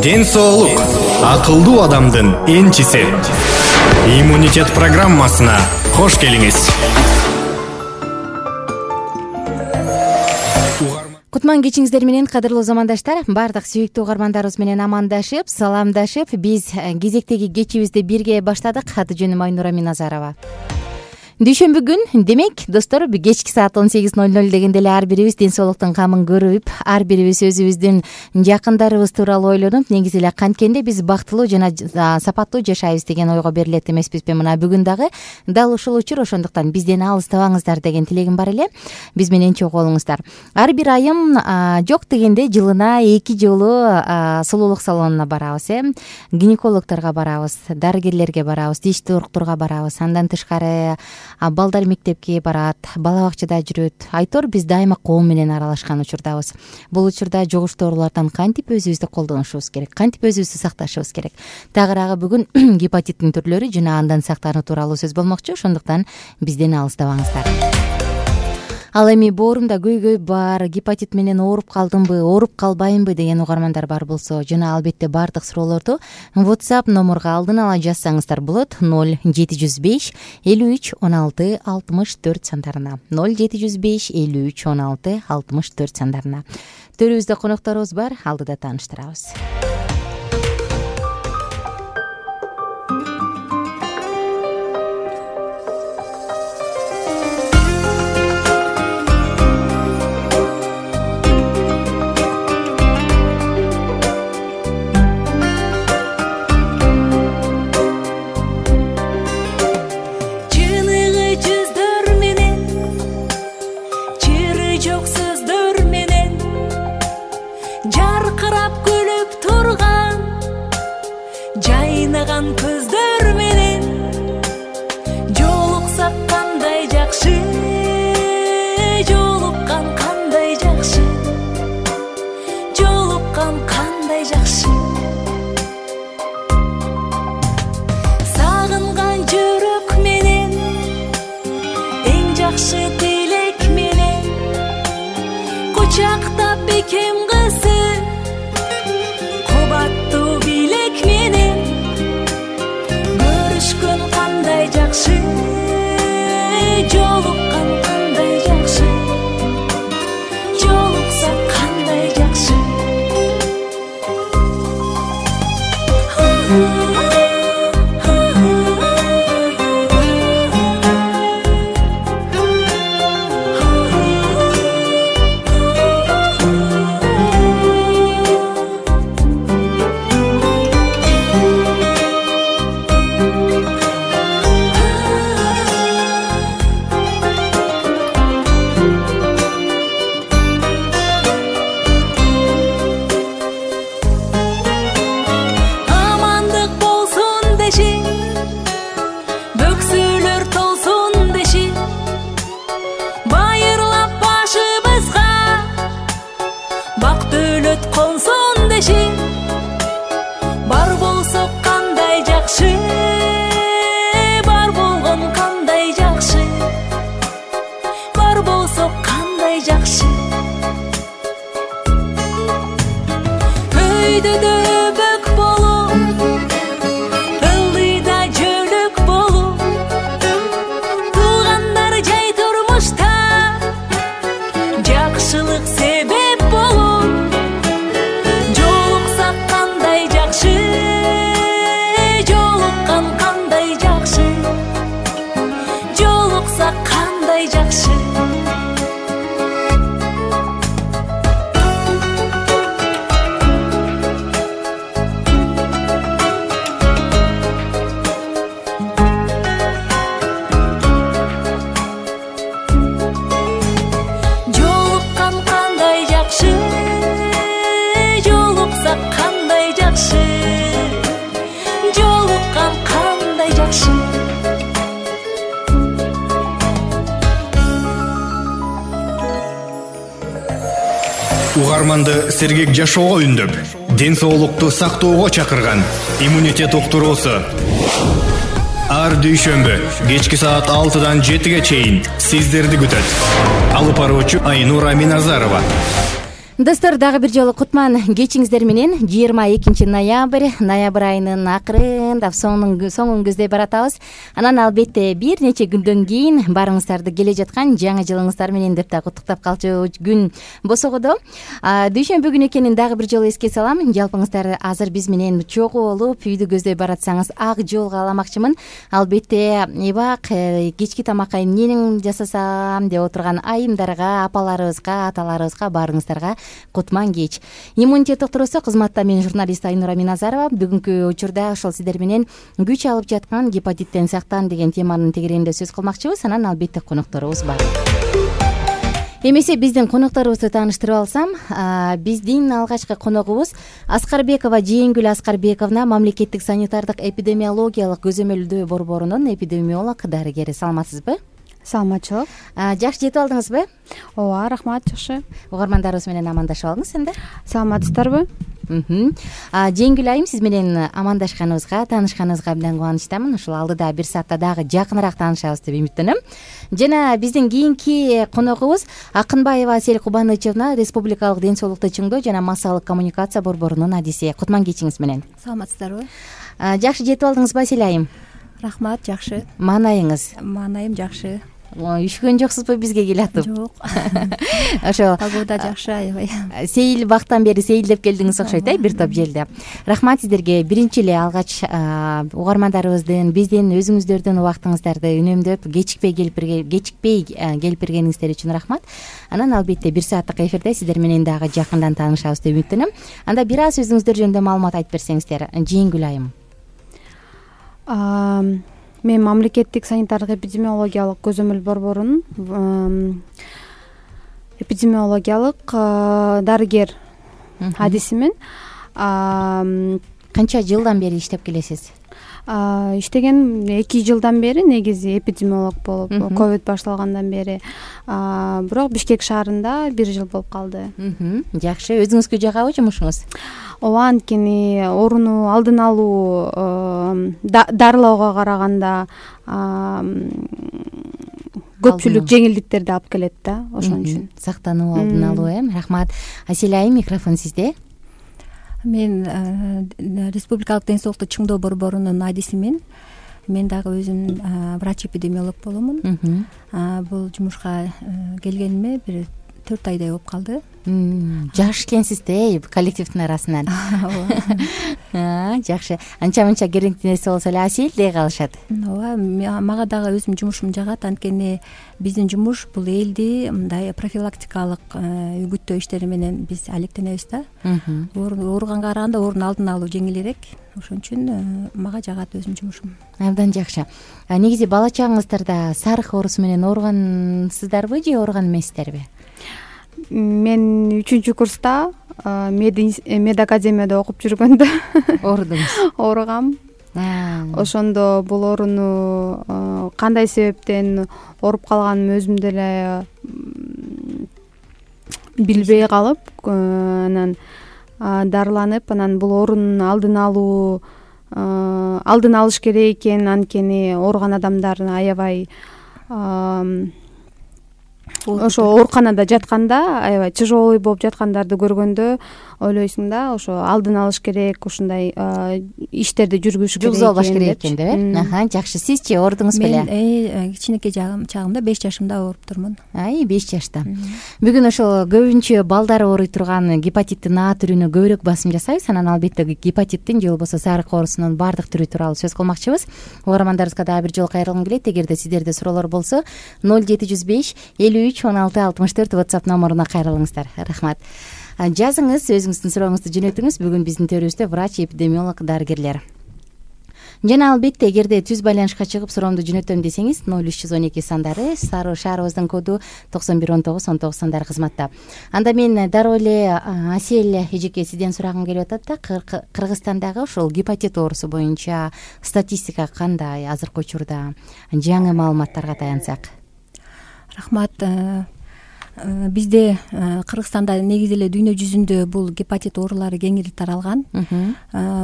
Ден соолук акылдуу адамдын энчиси. Иммунитет программасына кош келиңиз. Кутман кечиңиздер менен, кадырлуу замандаштар. Бардык сүйүктүү угармандарыбыз менен амандашып, саламдашып, биз кезектеги кечибизди бирге баштадык. Аты жөнүм Айнура Миназарова. Дүйшөмбү күн, демек, достор, кечки саат 18:00 дегенде эле ар бирибиз ден соолуктун камын көрүп, ар бирибиз өзүбүздүн жакындарыбыз тууралуу ойлонуп, негизи эле канткенде биз бактылуу жана сапаттуу жашайбыз деген ойго берилет эмеспизби? Мына бүгүн дагы дал ушул учур, ошондуктан бизден алыстабаңыздар деген тилегим бар эле. Биз менен чогуу болуңуздар. Ар бир айым жок дегенде жылына 2 жолу сулуулук салонуна барабыз, гинекологторго барабыз, дарыгерлерге барабыз, диш доктурга барабыз. Андан тышкары балдар мектепке барат, бала бакчада жүрөт. Айтор, биз дайыма коом менен аралашкан учурдабыз. Бул учурда жугуштуу оорулардан кантип өзүбүздү колдонушубуз керек, кантип өзүбүздү сакташыбыз керек. Тагыраагы бүгүн гепатиттин түрлөрү жана андан сактануу тууралуу сөз болмокчу. Ошондуктан бизден алыстабаңыздар. Ал эми боорумда көйгөй бар, гепатит менен ооруп калдымбы, ооруп калбаймбы деген угармандар бар болсо, жана албетте бардык суроолорду WhatsApp номурга алдын ала жазсаңыздар болот. 0705 53 16 64 сандарына. 0705 53 16 64 сандарына. Төрүбүздө конокторубуз бар, алдыда тааныштырабыз. Көздөр менен жолуксак кандай жакшы, жолуккан кандай жакшы, жолуккан кандай жакшы. Сагынган жүрөк менен, эң жакшы тилек менен кучактап бекем кызы, кубаттуу билек менен кандай жакшы, жолуккан кандай жакшы, жолуксак кандай жакшы. Угарманды сергек жашоого үндөп, ден соолукту сактоого чакырган иммунитет уктуруусу. Ар дүйшөмбү кечки саат 6-дан 7-ге чейин сиздерди күтөт. Алып баруучу Айнура Миназарова. Достор, дагы бир жолу кутман кечиңиздер менен. 22 ноябрь айынын акырындап соңун көздөй баратабыз. Анан албетте бир нече күндөн кийин баарыңыздарды келе жаткан жаңы жылыңыздар менен деп да куттуктап калчу күн босогодо. Дүйшөмбү күнү экенин дагы бир жолу эске салам. Жалпыңыздар азыр биз менен чогуу болуп үйдү көздөй баратсаңыз ак жолго аламакчымын. Албетте эбак кечки тамакка эмнени жасасам деп отурган айымдарга, апаларыбызга, аталарыбызга, баарыңыздарга кутман кеч. Иммунитет доктурусу кызматта мен журналист Айнура Миназарова. Бүгүнкү учурда ошол сиздер менен күч алып жаткан гепатиттен сактан деген теманын тегерегинде сөз кылмакчыбыз. Анан албетте конокторубуз бар. Эмесе биздин конокторубузду тааныштырып алсам, биздин алгачкы коногубуз Аскарбекова Жээнгүл Аскарбековна, мамлекеттик санитардык эпидемиологиялык көзөмөлдөө борборунун эпидемиолог дарыгери. Саламатсызбы? Саламатчылык. Жакшы жетип алдыңызбы? Ооба, рахмат, жакшы. Угармандарыбыз менен амандашып алыңыз энди. Саламатсыздарбы? Жеңгүл айым, сиз менен амандашканыбызга, таанышканыбызга абдан кубанычтамын. Ушул алдыда бир саатта дагы жакыныраак таанышабыз деп үмүттөнөм. Жана биздин кийинки коногубуз Акынбаева Асель Кубанычевна, Республикалык ден соолукту чыңдоо жана массалык коммуникация борборунун адиси. Кутман кечиңиз менен. Саламатсыздарбы? Жакшы жетип алдыңызбы Асель айым? Рахмат, жакшы. Маанайыңыз? Маанайым жакшы. Үшкөн жоксузбу бизге келатып? Жок. Ошо погода жакшы, аябай. Сейил бактан бери сейилдеп келдиңиз окшойт, бир топ жерде. Рахмат сиздерге. Биринчи эле алгач угармандарыбыздын, биздин өзүңүздөрдүн убактыңыздарды үнөмдөп, кечикпей келип бергениңиздер үчүн рахмат. Анан албетте бир сааттык эфирде сиздер менен дагы жакындан таанышабыз деп үмүттөнөм. Анда бир аз өзүңүздөр жөнүндө маалымат айтып берсеңиздер. Жээнгүл айым. Мен мамлекеттик санитардык эпидемиологиялык көзөмөл борборунун эпидемиологиялык дарыгер адисимин. Канча жылдан бери иштеп келесиз? Иштеген 2 жылдан бери, негизи эпидемиолог болуп, ковид башталгандан бери. Бирок Бишкек шаарында 1 жыл болуп калды. Жакшы. Өзүңүзгө жагабы жумушуңуз? Ооба, анткени ооруну алдын алуу, дарылоого караганда көпчүлүк жеңилдиктерди алып келет да, ошон үчүн. Сактануу, алдын алуу, рахмат. Асель айым, микрофон сизде. Мен Республикалык ден соолукту чыңдоо борборунун адисимин. Мен дагы өзүм врач-эпидемиолог боломун. Бул жумушка келгениме бир 4 айдай болуп калды. Жаш экенсиз коллективдин арасынан. Жакшы. Анча-мынча керектүү нерсе болсо эле Асель дей калышат. Ооба, мага дагы өзүмдүн жумушум жагат. Анткени биздин жумуш бул элди мындай профилактикалык үгүттөө иштери менен биз алектенебиз да. Ооруганга караганда оорунун алдын алуу жеңилирээк. Ошон үчүн мага жагат өзүмдүн жумушум. Абдан жакшы. Негизи бала чагыңыздарда сарых оорусу менен ооругансыздарбы же ооруган эмессиздерби? Мен 3-курста мед академияда окуп жүргөндө ооругам. Ошондо бул ооруну кандай себептен ооруп калганымды өзүм деле билбей калып, анан дарыланып, анан бул оорунун алдын алыш керек экен, анткени ооруган адамдар аябай ошо ооруканада жатканда, аябай тяжелый болуп жаткандарды көргөндө ойлойсуң да, ошо алдын алыш керек, ушундай иштерди жүргүзүш керек. Жүргүзүш керек экен деп. Жакшы. Сизчи оорудуңуз беле? Мен кичинекей чагымда 5 жашымда ооруп турмун. 5 жашта. Бүгүн ошол көбүнчө балдар ооруй турган гепатиттин А түрүнө көбүрөөк басым жасайбыз. Анан албетте гепатиттин же болбосо сарык оорусунун баардык түрү тууралуу сөз кылмакчыбыз. Угармандарыбызга дагы бир жолу кайрылгым келет. Эгерде сиздерде суроолор болсо 0705 53 16 64 WhatsApp номуруна кайрылыңыздар. Рахмат. Жазыңыз, өзүңүздүн сурооңузду жөнөтүңүз. Бүгүн биздин төрүбүздө врач-эпидемиолог дарыгерлер. Жана албетте эгерде түз байланышка чыгып суроомду жөнөтөм десеңиз 0312 сандары, шаарыбыздын коду 9119 сандары кызматта. Анда мен дароо эле Асель эжеке сизден сурагым келип атат да, Кыргызстандагы ошол гепатит оорусу боюнча статистика кандай азыркы учурда, жаңы маалыматтарга таянсак? Рахмат. бизде Кыргызстанда негизи эле дүйнө жүзүндө бул гепатит оорулары кеңири таралган.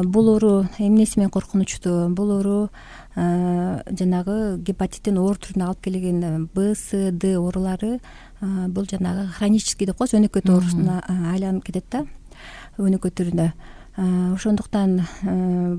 Бул оору эмнеси менен коркунучтуу? Бул оору жанагы гепатиттин оор түрүнө алып келген Б, С, Д оорулары бул жанагы хронический деп коебуз, өнөкөт оорусуна айланып кетет да, өнөкөт түрүнө. Ошондуктан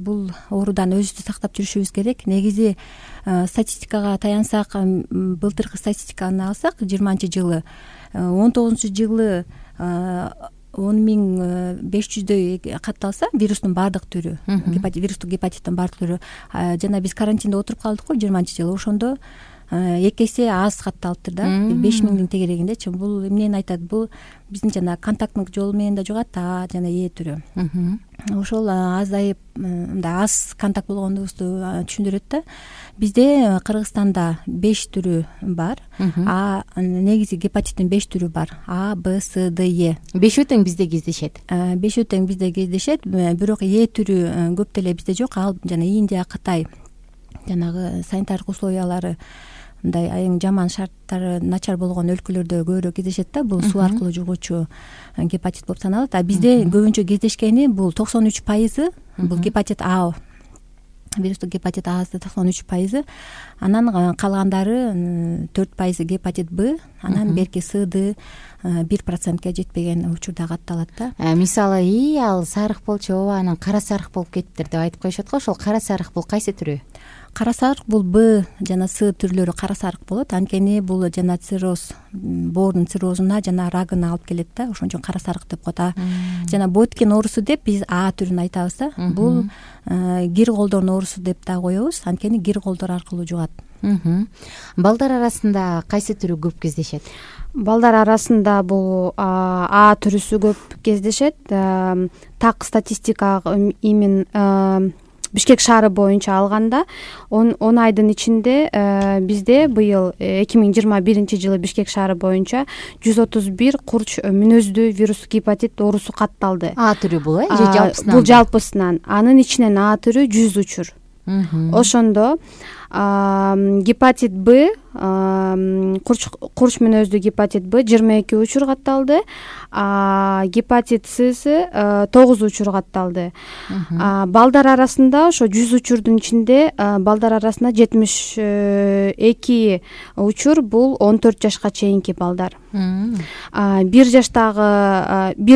бул оорудан өзүбүздү сактап жүрүшүбүз керек. Негизи статистикага таянсак, былтыркы статистиканы алсак, 20-жылы 19-жылы 10.500дөй катталса вирустун баардык түрү, вирустук гепатиттин баардык түрү, жана биз карантинде отуруп калдык го 20-жылы, ошондо 2 эсе аз катталыптыр да, 5.000 тегерегиндечи. Бул эмнени айтат? Бул биздин жана контакттык жол менен да жугат, А жана Е түрү. Ошол азайып, мындай аз контакт болгондугубузду түшүндүрөт да. Бизде Кыргызстанда 5 түрү бар. Негизи гепатиттин 5 түрү бар. А, Б, С, Д, Е. 5 тең бизде кездешет. 5 тең бизде кездешет, бирок Е түрү көп деле бизде жок. Ал жана Индия, Кытай жанагы санитардык условиялары мындай эң жаман шарттары начар болгон өлкөлөрдө көбүрөөк кездешет да. Бул суу аркылуу жугуучу гепатит болуп саналат. А бизде көбүнчө кездешкени бул 93% бул гепатит А, вирустук гепатит А 93%, анан калгандары 4% гепатит Б, анан берки С, Д 1%ке жетпеген учурда катталат да. Мисалы, ал сарык болчу, анан кара сарык болуп кетиптир деп айтып коюшат го. Ошол кара сарык бул кайсы түрү? Кара сарык бул Б жана С түрлөрү кара сарык болот. Анткени бул жана цирроз, боордун циррозуна жана рагына алып келет да. Ошон үчүн кара сарык деп коет. Жана Боткин оорусу деп биз А түрүн айтабыз да. Бул кир колдордун оорусу деп да коебуз. Анткени кир колдор аркылуу жугат. Балдар арасында кайсы түрү көп кездешет? Балдар арасында бул А түрүсү көп кездешет. Так статистика имин Бишкек шаары боюнча алганда 10 айдын ичинде бизде быйыл 2021-жылы Бишкек шаары боюнча 131 курч мүнөздүү вирус гепатит оорусу катталды. А түрү бул же жалпысынан? Бул жалпысынан. Анын ичинен А түрү 100 учур. Ошондо гепатит Б, курч мүнөздүү гепатит Б 22 учур катталды, гепатит С 9 учур катталды. Балдар арасында ошо 100 учурдун ичинде балдар арасында 72 учур бул 14 жашка чейинки балдар. 1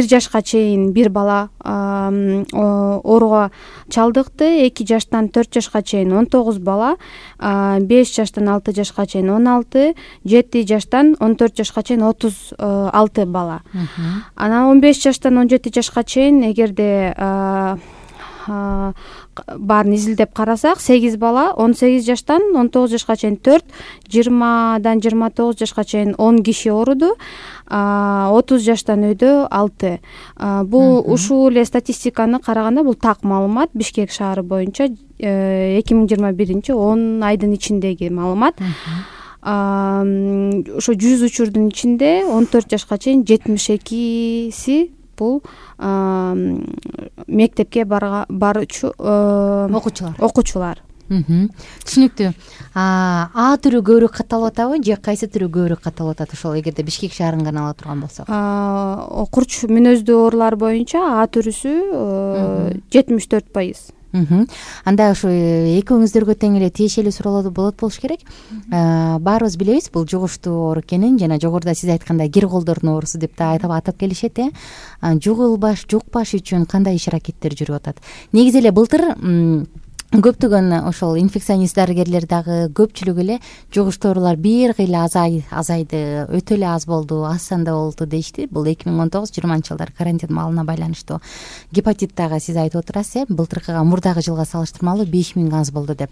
жашка чейин бир бала ооруга чалдыкты, 2 жаштан 4 жашка чейин 19 бала, 5 жаштан 6 жашка чейин 16, 7 жаштан 14 жашка чейин 36 бала. Анан 15 жаштан 17 жашка чейин эгерде баарын изилдеп карасак 8 бала, 18 жаштан 19 жашка чейин 4, 20дан 29 жашка чейин 10 киши ооруду, 30 жаштан өйдө 6. Бул ушул эле статистиканы караганда бул так маалымат. Бишкек шаары боюнча 2021 10 айдын ичиндеги маалымат. Ошо 100 учурдун ичинде 14 жашка чейин 72си бул мектепке баруучу окуучулар. Түшүнүктүү. А түрү көбүрөөк катталып атабы же кайсы түрү көбүрөөк катталып атат? Ошол эгерде Бишкек шаарын гана ала турган болсок. Курч мүнөздүү оорулар боюнча А түрүсү 74%. Анда ошо экөөңүздөргө тең эле тиешелүү суроолор болот болуш керек. Баарыбыз билебиз бул жугуштуу оору экенин, жана жогоруда сиз айткандай кир колдордун оорусу деп да атап келишет. Жукпаш үчүн кандай иш аракеттер жүрүп атат? Негизи эле былтыр көптөгөн ошол инфекционист дарыгерлер дагы көпчүлүк эле жугуштуу оорулар бир кыйла азайды, өтө эле аз болду, аз санда болду дейишти. Бул 2019-20 карантин маалына байланыштуу. Гепатит дагы сиз айтып отурасыз, былтыркыга мурдагы жылга салыштырмалуу 5000 аз болду деп.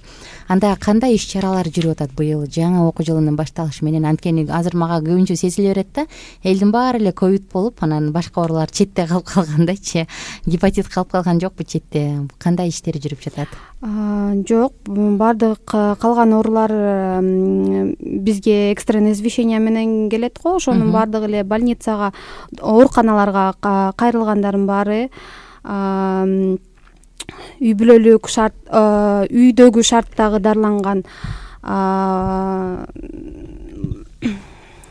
Анда кандай иш чаралар жүрүп атат быйыл жаңы окуу жылынын башталышы менен? Анткени азыр мага көбүнчө сезиле берет да, элдин баары эле ковид болуп, анан башка оорулар четте калып калгандайчы. Гепатит калып калган жокпу четте? Кандай иштер жүрүп жатат? Жок, баардык калган оорулар бизге экстренный извещение менен келет го. Ошонун баардыгы эле больницага, ооруканаларга кайрылгандардын баары үй бүлөлүк шарт, үйдөгү шарттагы дарыланган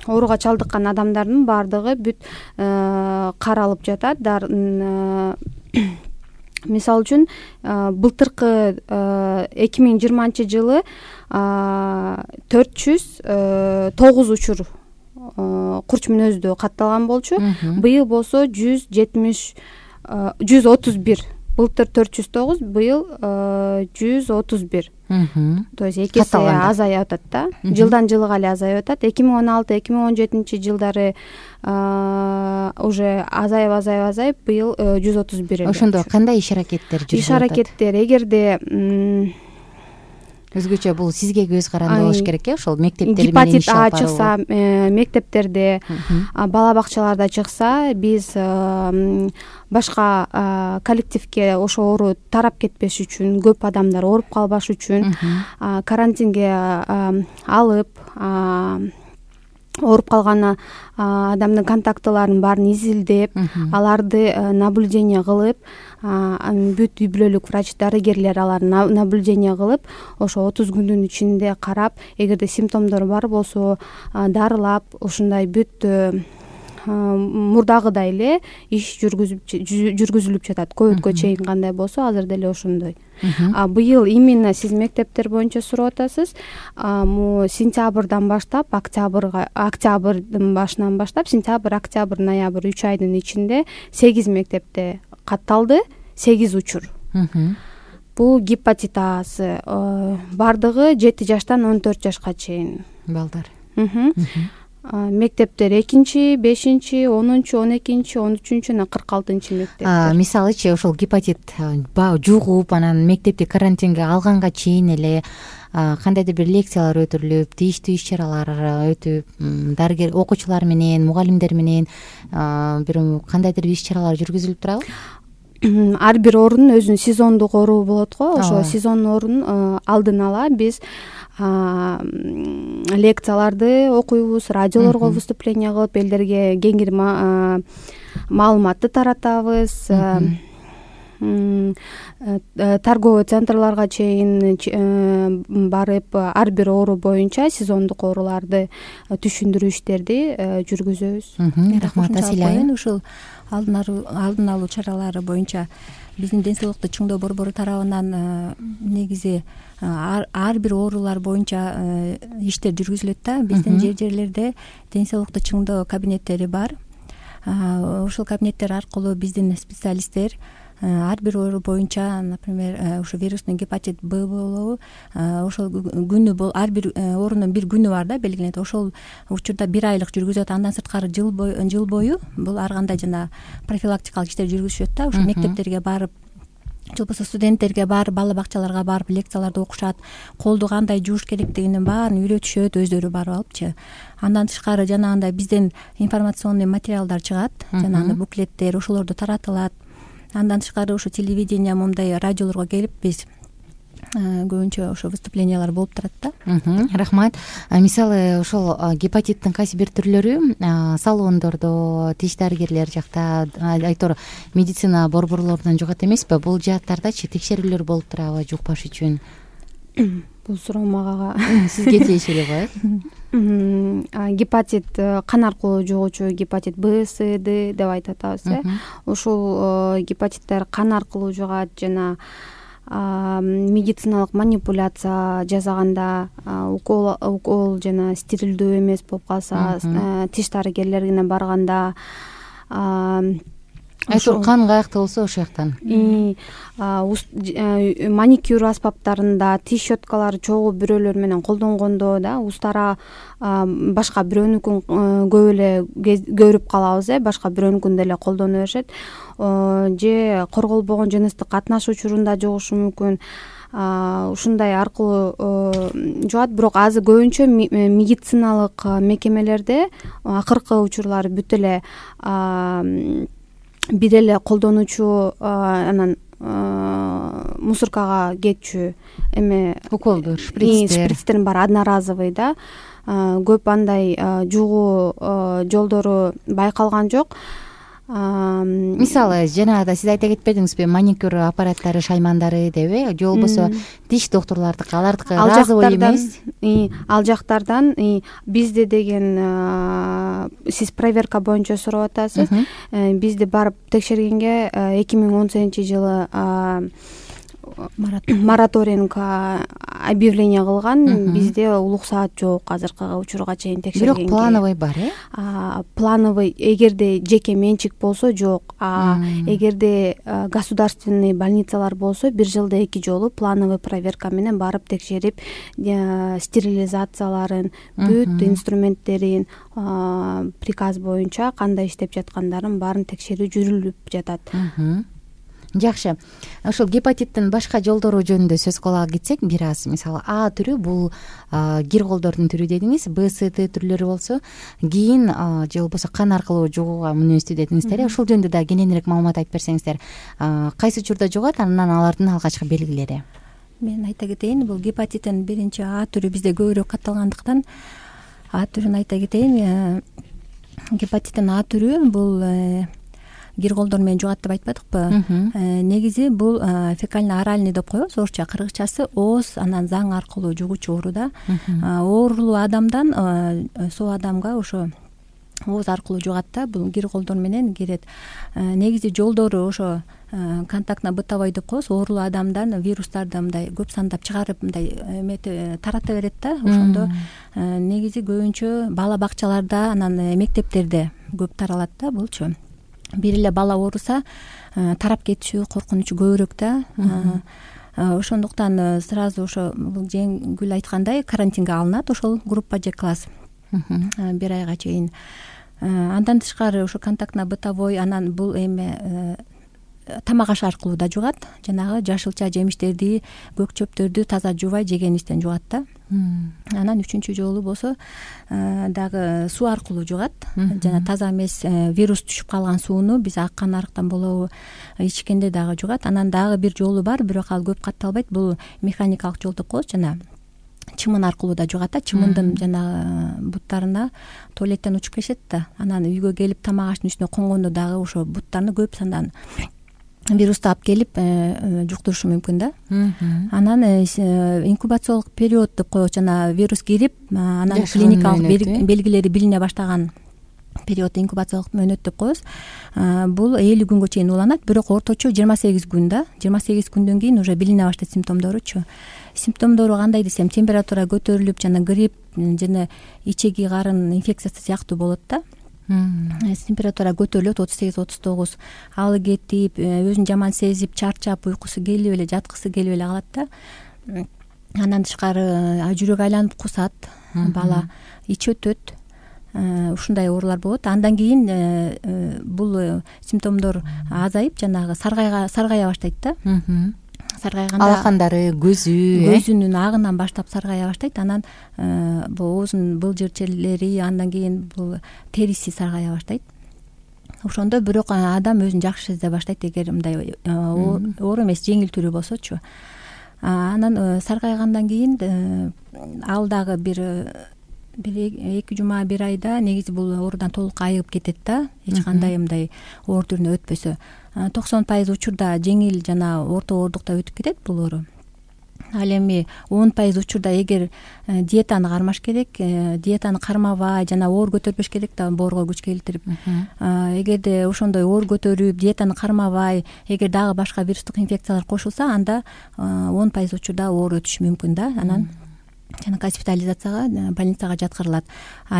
ооруга чалдыккан адамдардын баардыгы бүт каралып жатат. Мисалы үчүн былтыркы 2020-жылы 409 учур курч мүнөздүү катталган болчу. Быйыл болсо 131. Былтыр 409, быйыл 131. То есть 2 эсе азайып атат да. Жылдан жылга эле азайып атат. 2016-2017 жылдары уже азайып, быйыл 131 эле. Ошондо кандай иш-аракеттер жүрүп атат? Иш-аракеттер эгерде өзгөчө бул сизге көз каранды болуш керек ошол мектептер менен гепатит А чыкса, мектептерде, бала бакчаларда чыкса, биз башка коллективге ошо оору тарап кетпеш үчүн, көп адамдар ооруп калбаш үчүн карантинге алып, ооруп калган адамдын контактыларын баарын изилдеп, аларды наблюдение кылып, бүт үй бүлөлүк врач, дарыгерлер аларды наблюдение кылып, ошо 30 күндүн ичинде карап, эгерде симптомдор бар болсо дарылап, ушундай бүт мурдагыдай эле иш жүргүзүлүп жатат. Көбүткө чейин кандай болсо, азыр деле ошондой. Быйыл именно сиз мектептер боюнча сурап атасыз. Сентябрдан баштап, октябрдын башынан баштап, сентябрь, октябрь, ноябрь 3 айдын ичинде 8 мектепте катталды, 8 учур. Бул гепатит Асы бардыгы 7 жаштан 14 жашка чейин балдар. Мектептер 2-5, 10, 12, 13 жана 46 мектептер. Мисалычы ошол гепатит жугуп, анан мектепти карантинге алганга чейин эле кандайдыр бир лекциялар өтүрүлүп, тийиштүү иш-чаралар өтүп, дарыгер окуучулар менен, мугалимдер менен бир кандайдыр бир иш-чаралар жүргүзүлүп турабы? Ар бир оорунун өзүнүн сезондук оору болот го. Ошо сезон оорунун алдын ала биз лекцияларды окуйбуз, радиолорго выступление кылып, элдерге кеңири маалыматты таратабыз. Торговый центрларга чейин барып, ар бир оору боюнча сезондук ооруларды түшүндүрүү иштерди жүргүзөбүз. Рахмат, Асилай. Ушул алдын алуу чаралары боюнча биздин ден соолукту чыңдоо борбору тарабынан негизи ар бир оорулар боюнча иштер жүргүзүлөт да. Биздин жерлерде ден соолукту чыңдоо кабинеттери бар. Ошол кабинеттер аркылуу биздин специалисттер ар бир оору боюнча, например, ошо вирусный гепатит Б болобу, ошол күнү ар бир оорунун бир күнү бар да, белгиленет. Ошол учурда 1 айлык жүргүзөт. Андан сырткары жыл бою бул ар кандай жана профилактикалык иштер жүргүзүшөт да. Ошо мектептерге барып, же болбосо студенттерге барып, бала бакчаларга барып лекцияларды окушат, колду кандай жууш керектигинин баарын үйрөтүшөт, өздөрү барып алыпчы. Андан тышкары жанагындай бизден информационный материалдар чыгат, жанагындай буклеттер, ошолорду таратылат. Андан тышкары ошо телевидение, мындай радиолорго келип биз көбүнчө ошо выступлениялар болуп турат да. Рахмат. Мисалы ошол гепатиттин кайсы бир түрлөрү салондордо, тиш дарыгерлер жакта, айтор медицина борборлорунан жугат эмеспи? Бул жааттардачы текшерүүлөр болуп турабы жукпаш үчүн? Бул суроо мага сизге тиешелүү го. Гепатит кан аркылуу жугуучу гепатит Б, С, Д деп айтып атабыз. Ушул гепатиттер кан аркылуу жугат, жана медициналык манипуляция жасаганда, укол жана стерилдүү эмес болуп калса, тиш дарыгерлерине барганда, айтор кан каякта болсо ошол жактан маникюр аспаптарында, тиш щеткалары чогуу бирөөлөр менен колдонгондо да, устара башка бирөөнүкүн көп эле көрүп калабыз, башка бирөөнүкүн деле колдоно беришет. Же корголбогон жыныстык катнаш учурунда жугушу мүмкүн. Ушундай аркылуу жугат. Бирок азыр көбүнчө медициналык мекемелерде акыркы учурлары бүт эле бир эле колдонуучу анан мусоркага кетчү уколдор, шприцтерин бар одноразовый да. Көп андай жугуу жолдору байкалган жок. мисалы жанагыда сиз айта кетпедиңизби, маникюр аппараттары, шаймандары деби, же болбосо тиш доктурлардыкы, алардыкы разовый эмес? Ал жактардан бизде деген сиз проверка боюнча сурап атасыз. Бизди барып текшергенге 2018-жылы мораторинг объявление кылган. Бизде улук саат жок азыркы учурга чейин текшергенге. Бирок плановый бар, Плановый эгерде жеке менчик болсо жок. Эгерде государственный больницалар болсо 1 жылда 2 жолу плановый проверка менен барып текшерип, стерилизацияларын, бүт инструменттерин, приказ боюнча кандай иштеп жаткандарын баарын текшерүү жүрүлүп жатат. Жакшы. Ошол гепатиттин башка жолдору жөнүндө сөз кылалы кетсек, бир аз. Мисалы, А түрү бул кир колдордун түрү дедиңиз, Б, С, Т түрлөрү болсо, кийин же болбосо кан аркылуу жугууга мүнөздүү дедиңиздер. Ошол жөнүндө да кененирээк маалымат айтып берсеңиздер. Кайсы учурда жугат, анан алардын алгачкы белгилери? Мен айта кетейин, бул гепатиттин биринчи А түрү бизде көбүрөөк катталгандыктан А түрүн айта кетейин. Гепатиттин А түрү бул кир колдор менен жугат деп айтпадыкпы? Негизи бул фекально-оральный деп коебуз, орусча, кыргызчасы ооз, анан заң аркылуу жугуучу оору да. Оорулуу адамдан соо адамга ошо ооз аркылуу жугат да, бул кир колдор менен кирет. Негизи жолдору ошо контактно-бытовой деп коебуз, оорулуу адамдан вирустарды мындай көп сандап чыгарып мындай тарата берет да. Ошондо негизи көбүнчө бала бакчаларда, анан мектептерде көп таралат да булчу. Бир эле бала ооруса тарап кетишүү коркунучу көбүрөөк да. Ошондуктан сразу ошо жеңил айткандай карантинге алынат ошол группа же класс 1 айга чейин. Андан тышкары ошо контактно-бытовой, анан бул эме тамак аш аркылуу да жугат. Жанагы жашылча жемиштерди, көк чөптөрдү таза жуубай жегенибизден жугат да. Анан 3-чү жолу болсо дагы суу аркылуу жугат. Жана таза эмес вирус түшүп калган сууну биз аккан арыктан болобу ичкенде дагы жугат. Анан дагы бир жолу бар, бирок ал көп катталбайт. Бул механикалык жол деп коебуз, жана чымын аркылуу да жугат да. Чымындын жана буттарына туалеттен учуп келишет да. Анан үйгө келип тамак аштын үстүнө конгондо дагы ошо буттарны көп сандан вирусту алып келип жуктурушу мүмкүн да. Анан инкубациялык период деп коебуз, жана вирус кирип, анан клиникалык белгилери билине баштаган период инкубациялык мөөнөт деп коебуз. Бул 50 күнгө чейин уланат, бирок орточо 28 күн да. 28 күндөн кийин уже билине баштайт симптомдоручу. Симптомдору кандай десем, температура көтөрүлүп, жана грипп жана ичеги карын инфекциясы сыяктуу болот да. Температура көтөрүлөт 38-39, алы кетип, өзүн жаман сезип, чарчап, уйкусу келип эле, жаткысы келип эле калат да. Андан тышкары жүрөк айланып кусат бала, ичи өтөт. Ушундай оорулар болот. Андан кийин бул симптомдор азайып, жанагы саргая баштайт да. Саргайганда алакандары, көзүнүн агынан баштап саргая баштайт. Анан бул оозунун былжырчелери, андан кийин бул териси саргая баштайт. Ошондо бирок адам өзүн жакшы сезе баштайт, эгер мындай оору эмес, жеңил түрү болсочу. Анан саргайгандан кийин ал дагы бир 2 жума, 1 айда негизи бул оорудан толук айыгып кетет да, эч кандай мындай оор түрүнө өтпөсө. 90% учурда жеңил жана орто оордукта өтүп кетет бул оору. Ал эми 10% учурда эгер диетаны кармаш керек, диетаны кармабай жана оор көтөрбөш керек да, боорго күч келтирип. Эгерде ошондой оор көтөрүп, диетаны кармабай, эгер дагы башка вирустук инфекциялар кошулса, анда 10% учурда оор өтүшү мүмкүн да. Анан жана госпитализацияга, больницага жаткырылат.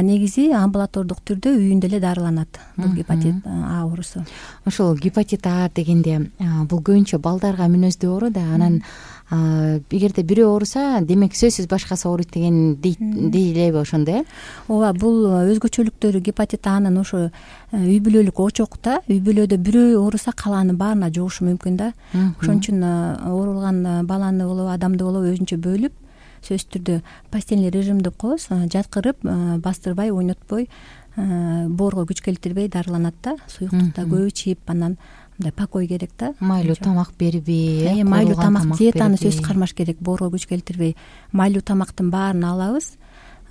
Негизи амбулатордук түрдө үйүндө эле дарыланат бул гепатит А оорусу. Ошол гепатит А дегенде бул көбүнчө балдарга мүнөздүү оору да. Анан эгерде бирөө ооруса, демек сөзсүз башкасы ооруйт деген дейлеби ошондо, Ооба, бул өзгөчөлүктөрү гепатит Анын ошо үй бүлөлүк очок да. Үй бүлөдө бирөө ооруса, калаанын баарына жугушу мүмкүн да. Ошон үчүн оорулган баланы болобу, адамды болобу өзүнчө бөлүп, сөзсүз түрдө постельный режим деп коебуз, жаткырып, бастырбай, ойнотпой, боорго күч келтирбей дарыланат да. Суюктукта көп ичип, анан мындай покой керек да. Майлуу тамак бербей, майлуу тамак, диетаны сөзсүз кармаш керек, боорго күч келтирбей. Майлуу тамактын баарын алабыз.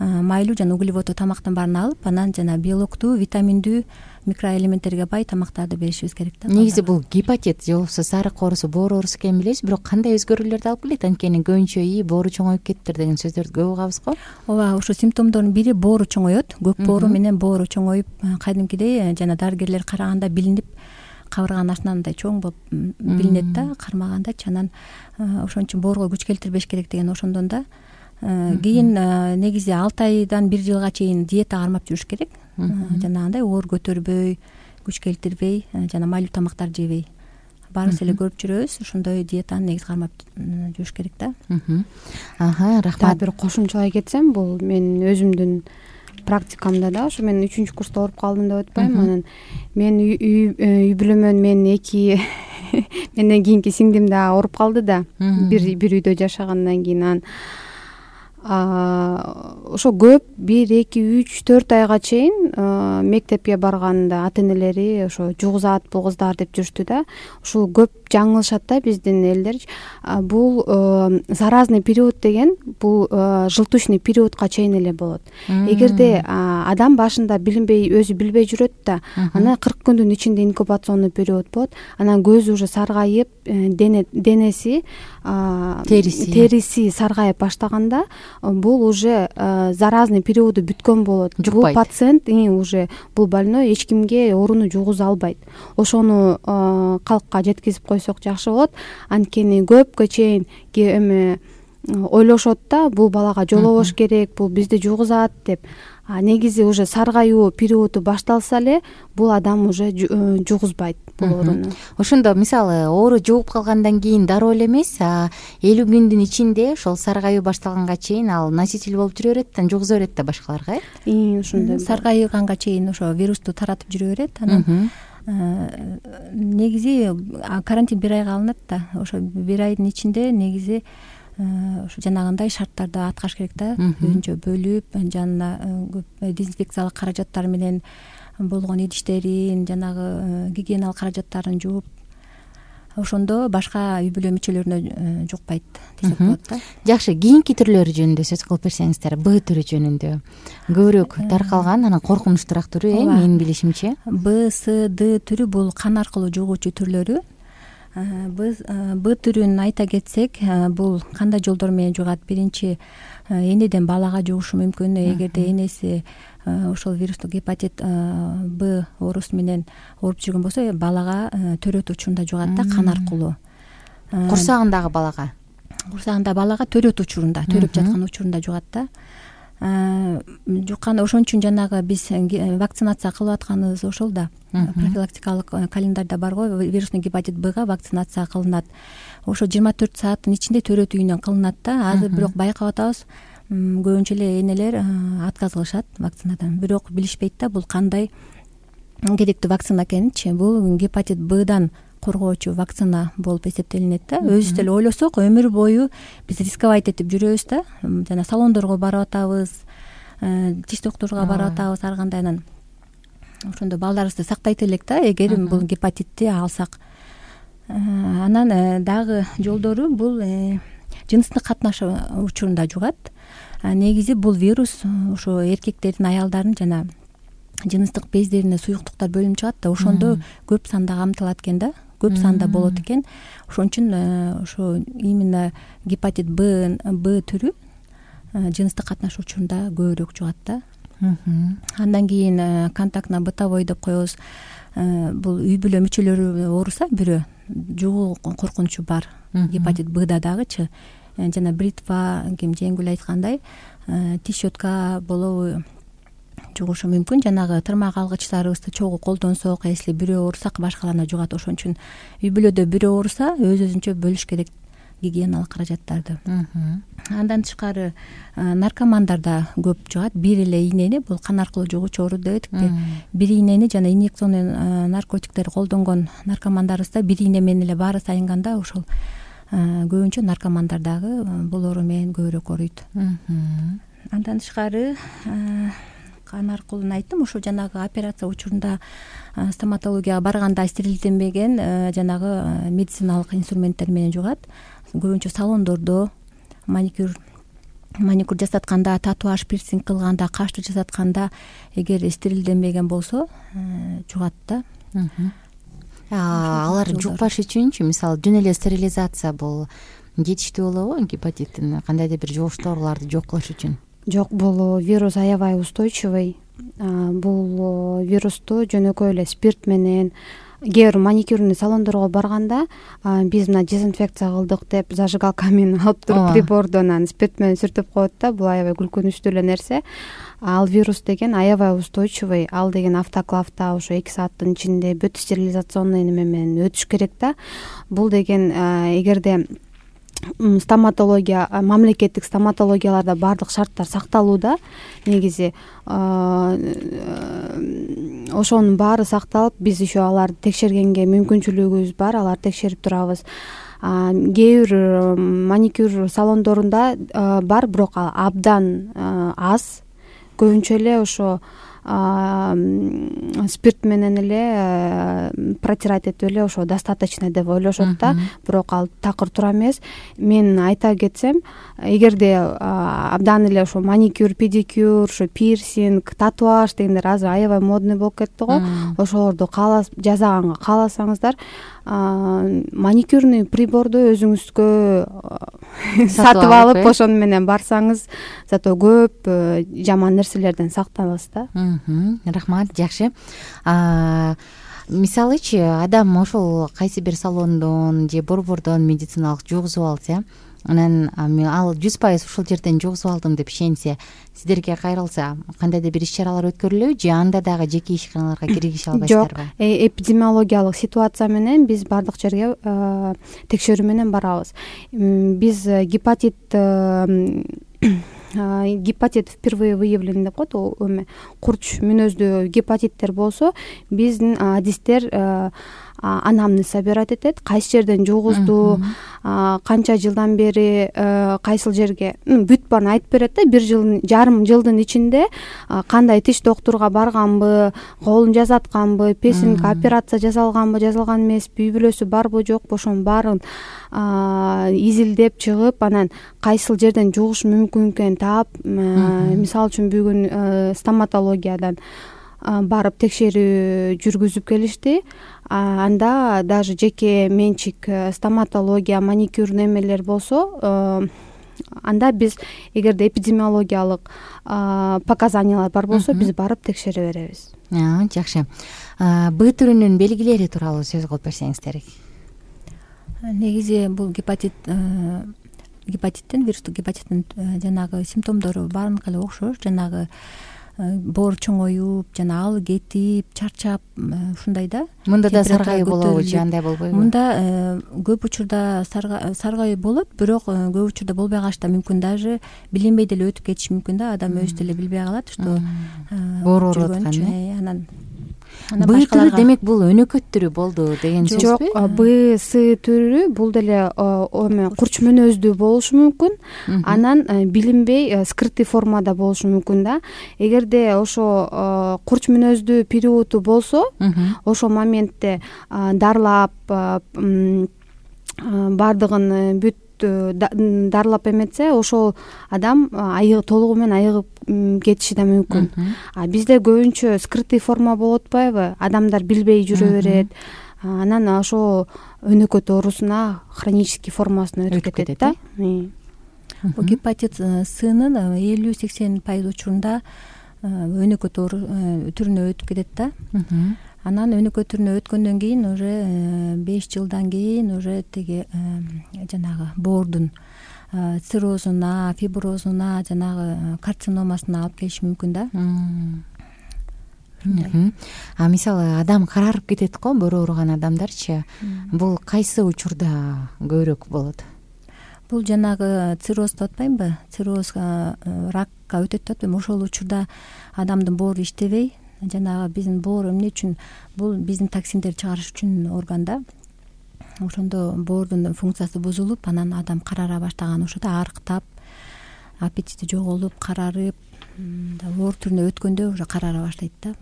майлуу жана углеводдуу тамактын баарын алып, анан жана белоктуу, витаминдүү, микроэлементтерге бай тамактарды беришибиз керек да. Негизи бул гепатит же болбосо сарык оорусу, боору оорусу экенин билебиз, бирок кандай өзгөрүүлөрдү алып келет? Анткени көбүнчө боору чоңоюп кеттир деген сөздөрдү көп угабыз го. Ооба, ушул симптомдордун бири боору чоңоет. Көк боору менен боору чоңоюп, кадимкидей жана дарыгерлер караганда билинип, кабырганын артынан мындай чоң болуп билинет да, кармагандачы. Анан ошон үчүн боорго күч келтирбеш керек деген ошондон да. Кийин негизи 6 айдан 1 жылга чейин диета кармап жүрүш керек. Жанагындай оор көтөрбөй, күч келтирбей, жана майлуу тамактар жебей. Баарыбыз эле көрүп жүрөбүз, ошондой диетаны негизи кармап жүрүш керек да. Рахмат. Бир кошумчалай кетсем, бул менин өзүмдүн практикамда да, ошо мен 3-курста ооруп калдым деп атпайм. Анан мен үй бүлөмөн менин 2 менден кийинки сиңдим да ооруп калды да. Бир үйдө жашагандан кийин анан ошо көп 1, 2, 3, 4 айга чейин мектепке барганда ата энелери ошо жугузат бул кыздар деп жүрүштү да. Ушул көп жаңылышат да биздин элдер. Бул заразный период деген бул желтушный периодка чейин эле болот. Эгерде адам башында билинбей, өзү билбей жүрөт да, анан 40 күндүн ичинде инкубационный период болот. Анан көзү уже саргайып, денеси, териси саргайып баштаганда бул уже заразный периоду бүткөн болот. Бул пациент уже бул больной эч кимге ооруну жугуза албайт. Ошону калкка жеткизип койсок жакшы болот. Анткени көпкө чейин эме ойлошот да, бул балага жолобош керек, бул бизди жугузат деп. Негизи уже саргаюу периоду башталса эле бул адам уже жугузбайт бул ооруну. Ошондо мисалы оору жугуп калгандан кийин дароо эле эмес, 50 күндүн ичинде ошол саргаюу башталганга чейин ал носитель болуп жүрө берет да, жугуза берет да башкаларга, ошондой. Саргайганга чейин ошо вирусту таратып жүрө берет. Анан негизи карантин 1 айга алынат да. Ошо 1 айдын ичинде негизи ушу жанагындай шарттарды аткарыш керек да. Өзүнчө бөлүп, жана дезинфекциялык каражаттар менен болгон идиштерин, жанагы гигиеналык каражаттарын жууп, ошондо башка үй бүлө мүчөлөрүнө жукпайт десек болот да. Жакшы, кийинки түрлөрү жөнүндө сөз кылып берсеңиздер. Б түрү жөнүндө көбүрөөк таркалган, анан коркунучтуураак түрү, менин билишимче. Б, С, Д түрү бул кан аркылуу жугуучу түрлөрү. Б түрүн айта кетсек, бул кандай жолдор менен жугат? Биринчи, энеден балага жугушу мүмкүн. Эгерде энеси ошол вирустук гепатит Б оорусу менен ооруп жүргөн болсо, балага төрөт учурунда жугат да, кан аркылуу. Курсагындагы балага? Курсагында балага төрөт учурунда, төрөп жаткан учурунда жугат да. Жуккан, ошон үчүн жанагы биз вакцинация кылып атканыбыз ошол да. Профилактикалык календарда бар го, вирусный гепатит Бга вакцинация кылынат. Ошо 24 сааттын ичинде төрөт үйүнөн кылынат да. Азыр бирок байкап атабыз, көбүнчө эле энелер отказ кылышат вакцинадан. Бирок билишпейт да бул кандай керектүү вакцина экенинчи. Бул гепатит Бдан коргоочу вакцина болуп эсептелинет да. Өзүбүз деле ойлосок, өмүр бою биз рисковать этип жүрөбүз да. Жана салондорго барып атабыз, тиш доктурга барып атабыз, ар кандай. Анан ошондо балдарыбызды сактайт элек да, эгер бул гепатитти алсак. Анан дагы жолдору бул жыныстык катнаш учурунда жугат. Негизи бул вирус ошо эркектердин, аялдардын жана жыныстык бездерине суюктуктар бөлүнүп чыгат да. Ошондо көп санда камтылат экен да, көп санда болот экен. Ошон үчүн ошо именно гепатит Б түрү жыныстык катнаш учурунда көбүрөөк жугат да. Андан кийин контактно бытовой деп коебуз. Бул үй бүлө мүчөлөрү ооруса бирөө, жугуу коркунучу бар гепатит Бда дагычы. Жана бритва, ким жеңил айткандай, тиш щетка болобу жугушу мүмкүн. Жанагы тырмак алгычтарыбызды чогуу колдонсок, если бирөө оорусак башкаларына жугат. Ошон үчүн үй бүлөдө бирөө ооруса өзүнчө бөлүш керек гигиеналык каражаттарды. Андан тышкары наркомандарда көп жугат. Бир эле ийнени, бул кан аркылуу жугуучу оору деп этикпи. Бир ийнени жана инъекционный наркотиктер колдонгон наркомандарыбызда бир ийне менен эле баары сайынганда ошол көбүнчө наркомандардагы бул оору менен көбүрөөк ооруйт. Андан тышкары кан аркылуу айттым, ошо жанагы операция учурунда стоматологияга барганда стерилденбеген жанагы медициналык инструменттер менен жугат. Көбүнчө салондордо, маникюр маникюр жасатканда, татуаж, пирсинг кылганда, кашты жасатканда эгер стерилденбеген болсо жугат да. Алар жукпаш үчүнчү, мисалы жөн эле стерилизация бул жетиштүү болобу гепатиттин кандайдыр бир жугуштуу ооруларды жок кылыш үчүн? Жок, бул вирус аябай устойчивый. Бул вирусту жөнөкөй эле спирт менен, кээ бир маникюрный салондорго барганда биз мына дезинфекция кылдык деп зажигалка менен алып туруп приборду анан спирт менен сүртүп коет да. Бул аябай күлкүнүчтүү эле нерсе. Ал вирус деген аябай устойчивый. Ал деген автоклавда ошо 2 сааттын ичинде бүт стерилизационный неме менен өтүш керек да. Бул деген эгерде стоматология, мамлекеттик стоматологияларда баардык шарттар сакталууда. Негизи ошонун баары сакталып, биз еще аларды текшергенге мүмкүнчүлүгүбүз бар, аларды текшерип турабыз. Кээ бир маникюр салондорунда бар, бирок ал абдан аз. Көбүнчө эле ошо спирт менен эле протирать этип эле ошо достаточно деп ойлошот да, бирок ал такыр туура эмес. Мен айта кетсем, эгерде абдан эле ошо маникюр, педикюр, ошо пирсинг, татуаж дегендер азыр аябай модный болуп кетти го. Ошолорду жасаганга кааласаңыздар, маникюрный приборду өзүңүзгө сатып алып, ошону менен барсаңыз, зато көп жаман нерселерден сактанасыз да. Рахмат, жакшы. Мисалычы, адам ошол кайсы бир салондон же борбордон медициналык жугузуп алса, анан ал 100% ушул жерден жугузуп алдым деп ишенсе, сиздерге кайрылса, кандайдыр бир иш-чаралар өткөрүлөбү же анда дагы жеке ишканаларга киргизе албайсыздарбы? Жок, эпидемиологиялык ситуация менен биз бардык жерге текшерүү менен барабыз. Биз гепатит впервые выявлен деп коет, курч мүнөздүү гепатиттер болсо, биздин адистер анамнез собирать этет, кайсы жерден жугузду, канча жылдан бери кайсыл жерге, бүт баарын айтып берет да. 1,5 жылдын ичинде кандай тиш доктурга барганбы, колун жасатканбы, пирсинг операция жасалганбы, жасалган эмеспи, үй бүлөсү барбы, жокпу, ошонун баарын изилдеп чыгып, анан кайсыл жерден жугуш мүмкүн экенин таап, мисалы үчүн бүгүн стоматологиядан барып текшерүү жүргүзүп келишти. Анда даже жеке менчик стоматология, маникюр немелер болсо, анда биз эгерде эпидемиологиялык показаниялар бар болсо, биз барып текшере беребиз. Жакшы. Б түрүнүн белгилери тууралуу сөз кылып берсеңиздер. Негизи бул вирустук гепатиттин жанагы симптомдору баарыныкы эле окшош. Жанагы боор чоңоюп, жана алы кетип, чарчап, ушундай да. Мында да саргайуу болобу же андай болбойбу? Мында көп учурда саргайуу болот, бирок көп учурда болбой калышы да мүмкүн, даже билинбей деле өтүп кетиши мүмкүн да. Адам өзү деле билбей калат, что боор ооруп аткан. Анан Б түрү демек бул өнөкөт түрү болду деген сөзбү? Жок, Б, С түрү бул деле курч мүнөздүү болушу мүмкүн. Анан билинбей скрытый формада болушу мүмкүн да. Эгерде ошо курч мүнөздүү периоду болсо, ошол моментте дарылап, бардыгын бүт дарылап эметсе, ошол адам толугу менен айыгып кетиши да мүмкүн. Бизде көбүнчө скрытый форма болуп атпайбы? Адамдар билбей жүрө берет. Анан ошо өнөкөт оорусуна хронический формасына өтүп кетет да. Бул гепатит С-нын 50-80% учурунда өнөкөт оору түрүнө өтүп кетет да. Анан өнөкөт түрүнө өткөндөн кийин уже 5 жылдан кийин уже тиги жанагы боордун циррозуна, фиброзуна, жанагы карциномасына алып келиши мүмкүн да. Мисалы адам карарып кетет го, боор ооруган адамдарчы. Бул кайсы учурда көбүрөөк болот? Бул жанагы цирроз деп атпаймынбы? Цирроз ракка өтөт деп атпаймынбы? Ошол учурда адамдын боору иштебей, жанагы биздин боор эмне үчүн, бул биздин токсиндерди чыгарыш үчүн орган да. Ошондо боордун функциясы бузулуп, анан адам карара баштаган, ошодо арыктап, аппетити жоголуп карарып, оор түрүнө өткөндө уже карара баштайт да.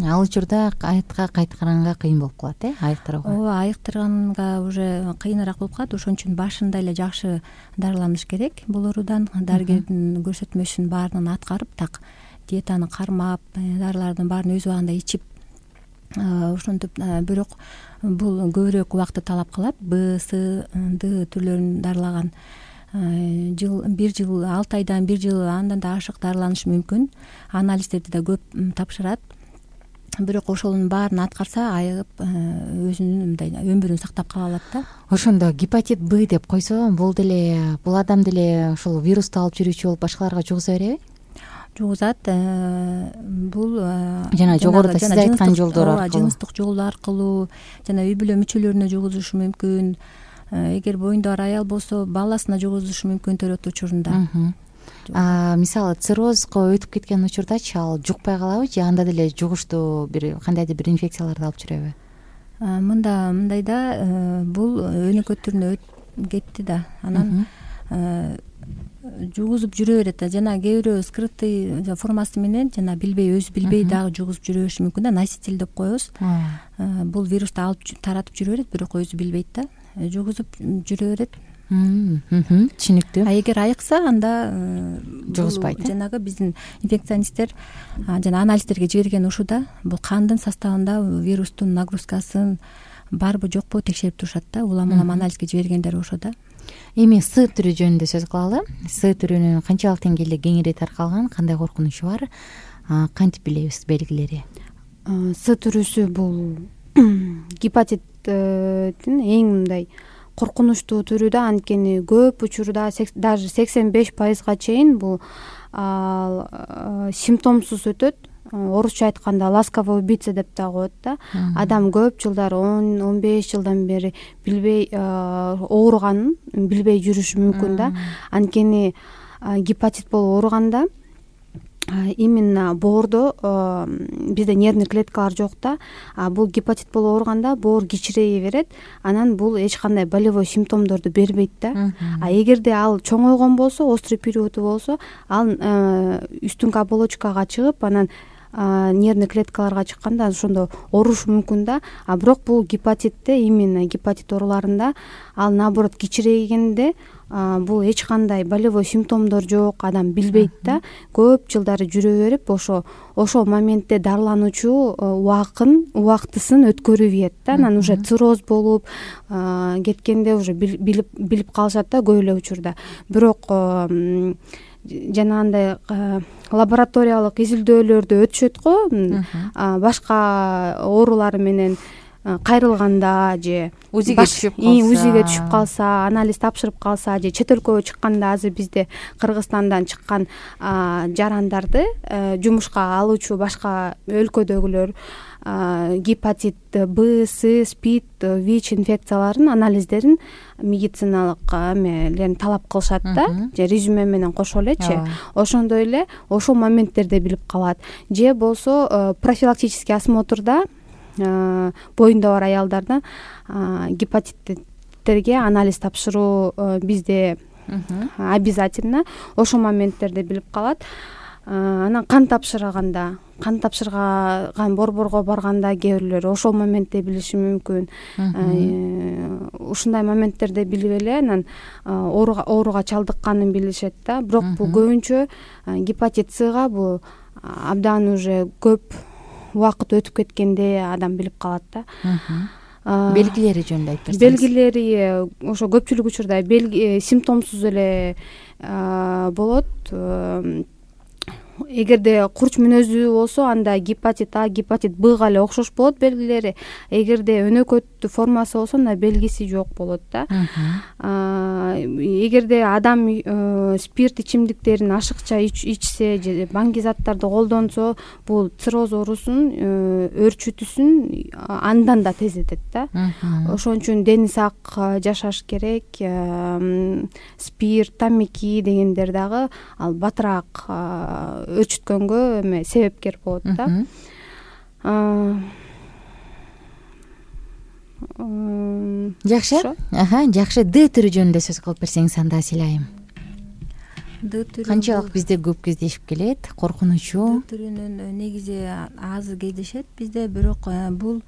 Ал учурда аятка кайтканга кыйын болуп калат, айыктырууга. Ооба, айыктырганга уже кыйыныраак болуп калат. Ошон үчүн башында эле жакшы дарыланыш керек бул оорудан. Дарыгердин көрсөтмөсүн баарын аткарып, так диетаны кармап, дарылардын баарын өз убагында ичип, ошентип. Бирок бул көбүрөөк убакытты талап кылат. Б, С, Д түрлөрүн дарылаган бир жыл, 6 айдан 1 жыл андан да ашык дарыланышы мүмкүн. Анализдерди да көп тапшырат. Бирок ошонун баарын аткарса, айыгып өзүнүн мындай өмүрүн сактап кала алат да. Ошондо гепатит Б деп койсо, бул адам деле ошол вирусту алып жүрүүчү болуп башкаларга жугуза береби? Жугузат. Бул жана жогоруда сиз айткан жолдор аркылуу, жыныстык жол аркылуу жана үй бүлө мүчөлөрүнө жугузушу мүмкүн. Эгер боюнда бар аял болсо, баласына жугузушу мүмкүн төрөт учурунда. Мисалы циррозго өтүп кеткен учурдачы ал жукпай калабы же анда деле жугуштуу кандайдыр бир инфекцияларды алып жүрөбү? Мындай да, бул өнөкөт түрүнө кетти да. Анан жугузуп жүрө берет да. Жана кээ бирөө скрытый формасы менен жана өзү билбей дагы жугузуп жүрө бериши мүмкүн да. Носитель деп коебуз. Бул вирусту алып таратып жүрө берет, бирок өзү билбейт да. Жугузуп жүрө берет. Түшүнүктүү. Эгер айыкса, анда жугузбайт. Жанагы биздин инфекционисттер жана анализдерге жиберген ушуда бул кандын составында вирустун нагрузкасын барбы жокпу текшерип турушат да. Улам анализге жибергендер ошодо. Эми С түрү жөнүндө сөз кылалы. С түрүнүн канчалык деңгээлде кеңири таркалган, кандай коркунучу бар? Кантип билебиз белгилери? С түрүсү бул гепатиттин эң мындай коркунучтуу түрү да. Анткени көп учурда даже 85% чейин бул симптомсуз өтөт. Орусча айтканда ласковый убийца деп да коет да. Адам көп жылдар, 10-15 жылдан бери билбей ооруганын билбей жүрүшү мүмкүн да. Анткени гепатит болуп ооруганда именно боордо бизде нервный клеткалар жок да. Бул гепатит болуп ооруганда боор кичирейе берет. Анан бул эч кандай болевой симптомдорду бербейт да. Эгерде ал чоңойгон болсо, острый периоду болсо, ал үстүнкү оболочкага чыгып, анан нервный клеткаларга чыкканда ошондо оорушу мүмкүн да. Бирок бул гепатитте, именно гепатит ооруларында ал наоборот кичирейгенде бул эч кандай болевой симптомдор жок, адам билбейт да. Көп жылдары жүрө берип, ошол моментте дарылануучу убактысын өткөрүп ийет да. Анан уже цирроз болуп кеткенде уже билип калышат да көп эле учурда. Бирок жанагындай лабораториялык изилдөөлөрдү өтүшөт го, башка оорулар менен кайрылганда же УЗИге түшүп калса, анализ тапшырып калса же чет өлкөгө чыкканда, азыр бизде Кыргызстандан чыккан жарандарды жумушка алуучу башка өлкөдөгүлөр гепатит Б, С, СПИД, ВИЧ инфекцияларын анализдерин медициналык эмелерин талап кылышат да, же резюме менен кошо элечи. Ошондой эле ошол моменттерде билип калат. Же болсо профилактический осмотрда боюнда бар аялдардан гепатиттерге анализ тапшыруу бизде обязательно. Ошол моменттерде билип калат. Анан кан тапшырган борборго барганда кээ бирлөр ошол моментте билиши мүмкүн. Ушундай моменттерде билип эле анан ооруга чалдыкканын билишет да. Бирок бул көбүнчө гепатит Сга бул абдан уже көп убакыт өтүп кеткенде адам билип калат да. Белгилери жөнүндө айтып берсеңиз. Белгилери ошо көпчүлүк учурда симптомсуз эле болот. Эгерде курч мүнөздүү болсо, анда гепатит А, гепатит Бга эле окшош болот белгилери. Эгерде өнөкөт формасы болсо, анда белгиси жок болот да. Эгерде адам спирт ичимдиктерин ашыкча ичсе же баңги заттарды колдонсо, бул цирроз оорусун өөрчүтүүсүн андан да тездетет да. Ошон үчүн дени сак жашаш керек. Спирт, тамеки дегендер дагы ал батыраак өөрчүткөнгө себепкер болот да. Жакшы. Жакшы. Д түрү жөнүндө сөз кылып берсеңиз, анда сыйлайм. канчалык бизде көп кездешип келет, коркунучу? Д түрүнүн негизи аз кездешет бизде, бирок бул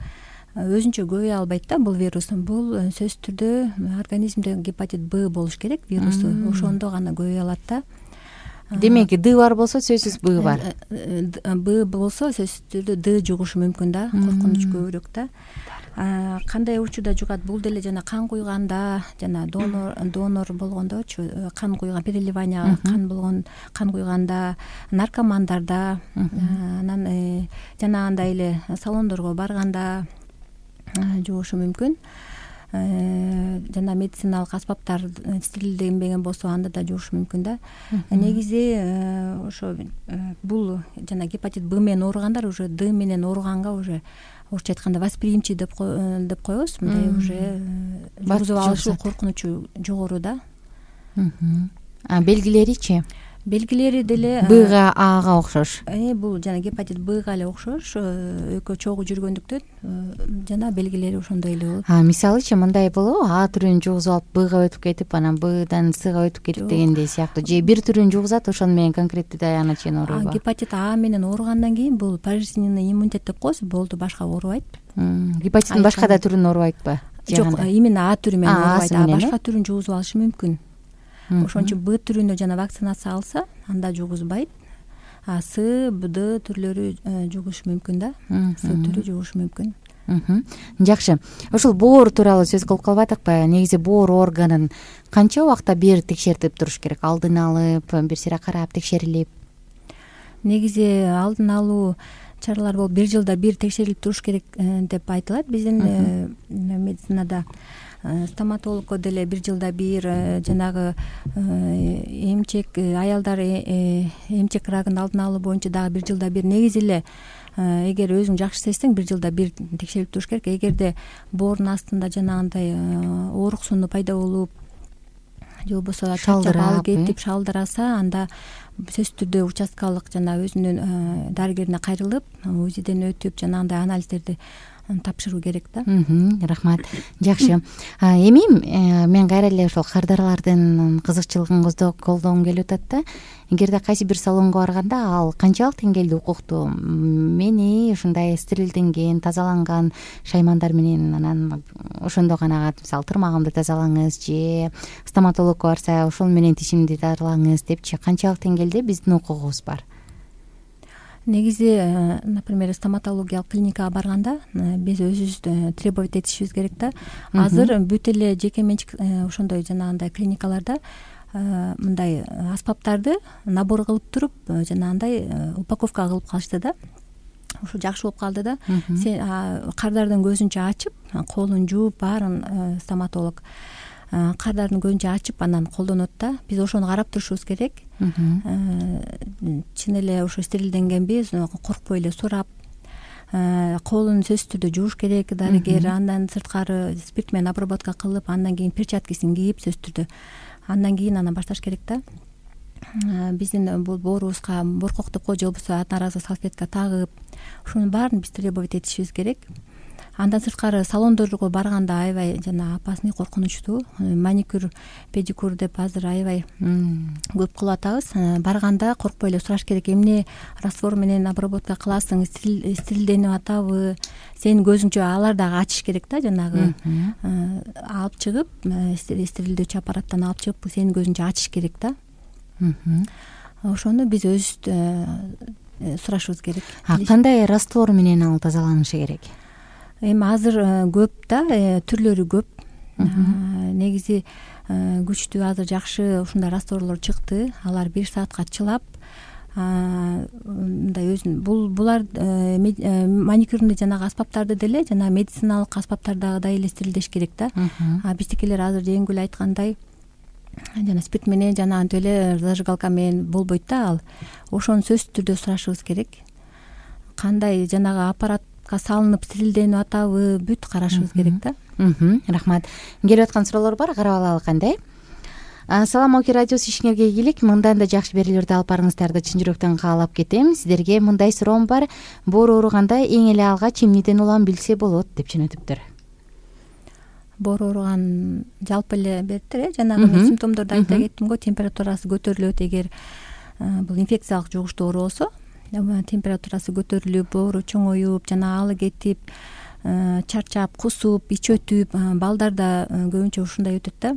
өзүнчө көбөйө албайт да. Бул вирус, бул сөзсүз түрдө организмде гепатит Б болуш керек вирусу, ошондо гана көбөйө алат да. Демек Д бар болсо сөзсүз Б бар. Б болсо сөзсүз түрдө Д жугушу мүмкүн да, коркунуч көбүрөөк да. Кандай учурда жугат? Бул деле жана кан куйганда, жана донор болгондочу, кан куйган, переливание кан болгон, кан куйганда, наркомандарда, анан жанагындай эле салондорго барганда жугушу мүмкүн. Жана медициналык аспаптар стерилденбеген болсо анда да жугушу мүмкүн да. Негизи ошо бул жана гепатит Б менен ооругандар уже Д менен ооруганга уже орусча айтканда восприимчив деп коебуз, мындай уже жугузуп алышы коркунучу жогору да. Белгилеричи? Белгилери деле Бга, Ага окшош. Бул жана гепатит Бга эле окшош, экөө чогуу жүргөндүктөн жана белгилери ошондой эле болот. Мисалычы мындай болобу? А түрүн жугузуп алып Бга өтүп кетип, анан Бдан Сга өтүп кетип дегендей сыяктуу. Же бир түрүн жугузат, ошону менен конкреттүү аягына чейин ооруйбу? Гепатит А менен ооругандан кийин бул пожизненный иммунитет деп коебуз, болду, башка оорубайт. Гепатиттин башка да түрүн оорубайтпы? Жок, именно А түрү менен оорубайт, башка түрүн жугузуп алышы мүмкүн. Ошон үчүн Б түрүнө жана вакцинация алса, анда жугузбайт. С, Б түрлөрү жугушу мүмкүн да. С түрү жугушу мүмкүн. Жакшы. Ушул боор тууралуу сөз кылып калбадыкпы? Негизи боор органын канча убакта бир текшертип туруш керек? Алдын алып, бир сыйра карап, текшерилип? Негизи алдын алуу чаралар болуп, 1 жылда бир текшерилип туруш керек деп айтылат биздин медицинада. Стоматологко деле 1 жылда бир, жанагы эмчек, аялдар эмчек рагын алдын алуу боюнча дагы 1 жылда бир. Негизи эле эгер өзүң жакшы сезсең 1 жылда бир текшерип туруш керек. Эгерде боордун астында жанагындай оорук сууну пайда болуп, же болбосо чарчап алып кетип шалдыраса, анда сөзсүз түрдө участкалык жана өзүнүн дарыгерине кайрылып, УЗИден өтүп, жанагындай анализдерди тапшыруу керек да. Рахмат. Жакшы. Эми мен кайра эле ошол кардарлардын кызыкчылыгын колдогум келип атат да. Эгерде кайсы бир салонго барганда ал канчалык деңгээлде укуктуу? Мени ушундай стерилденген, тазаланган шаймандар менен, анан ошондо гана мисалы тырмагымды тазалаңыз же стоматологко барса ошол менен тишимди дарылаңыз депчи, канчалык деңгээлде биздин укугубуз бар? Негизи, например, стоматологиялык клиникага барганда биз өзүбүз требовать этишибиз керек да. Азыр бүт эле жеке менчик ошондой жанагындай клиникаларда мындай аспаптарды набор кылып туруп, жанагындай упаковка кылып калышты да. Ошо жакшы болуп калды да. Сен кардардын көзүнчө ачып, колун жууп, баарын стоматолог кардардын көзүнчө ачып анан колдонот да. Биз ошону карап турушубуз керек. Чын эле ошо стерилденгенби коркпой эле сурап, колун сөзсүз түрдө жууш керек дарыгер, андан сырткары спирт менен обработка кылып, андан кийин перчаткисин кийип, сөзсүз түрдө андан кийин анан башташ керек да. Биздин бул боорубузга боркок деп коебуз, же болбосо одноразовый салфетка тагып, ушунун баарын биз требовать этишибиз керек. Андан сырткары салондорго барганда аябай жана опасный, коркунучтуу. Маникюр, педикюр деп азыр аябай көп кылып атабыз. Барганда коркпой эле сураш керек. Эмне раствор менен обработка кыласың, стерилденип атабы? Сенин көзүңчө алар дагы ачыш керек да, жанагы алып чыгып, стерилдөөчү аппараттан алып чыгып, сенин көзүңчө ачыш керек да. Ошону биз өзүбүз сурашыбыз керек. Кандай раствор менен ал тазаланышы керек? Эми азыр көп да, түрлөрү көп. Негизи күчтүү азыр жакшы ушундай растворлор чыкты. Алар 1 саатка чылап, мындай өзүн булар маникюрный жанагы аспаптарды деле, жана медициналык аспаптардагыдай эле стерилдеш керек да. Биздикилер азыр жеңил айткандай жана спирт менен жана антип эле зажигалка менен болбойт да ал. Ошону сөзсүз түрдө сурашыбыз керек. Кандай жанагы аппарат салынып стерилденип атабы, бүт карашыбыз керек да. Рахмат. Келип аткан суроолор бар, карап алалы кандай. Салам Оки радиосу ишиңерге ийгилик, мындан да жакшы берүүлөрдү алып барыңыздарды чын жүрөктөн каалап кетем. Сиздерге мындай суроом бар: боор ооруганда эң эле алгач эмнеден улам билсе болот деп жөнөтүптүр. боору ооруган жалпы эле бериптир, жанагы мен симптомдорду айта кеттим го. Температурасы көтөрүлөт, эгер бул инфекциялык жугуштуу оору болсо, температурасы көтөрүлүп, боору чоңоюп, жана алы кетип, чарчап, кусуп, ич өтүп, балдарда көбүнчө ушундай өтөт да.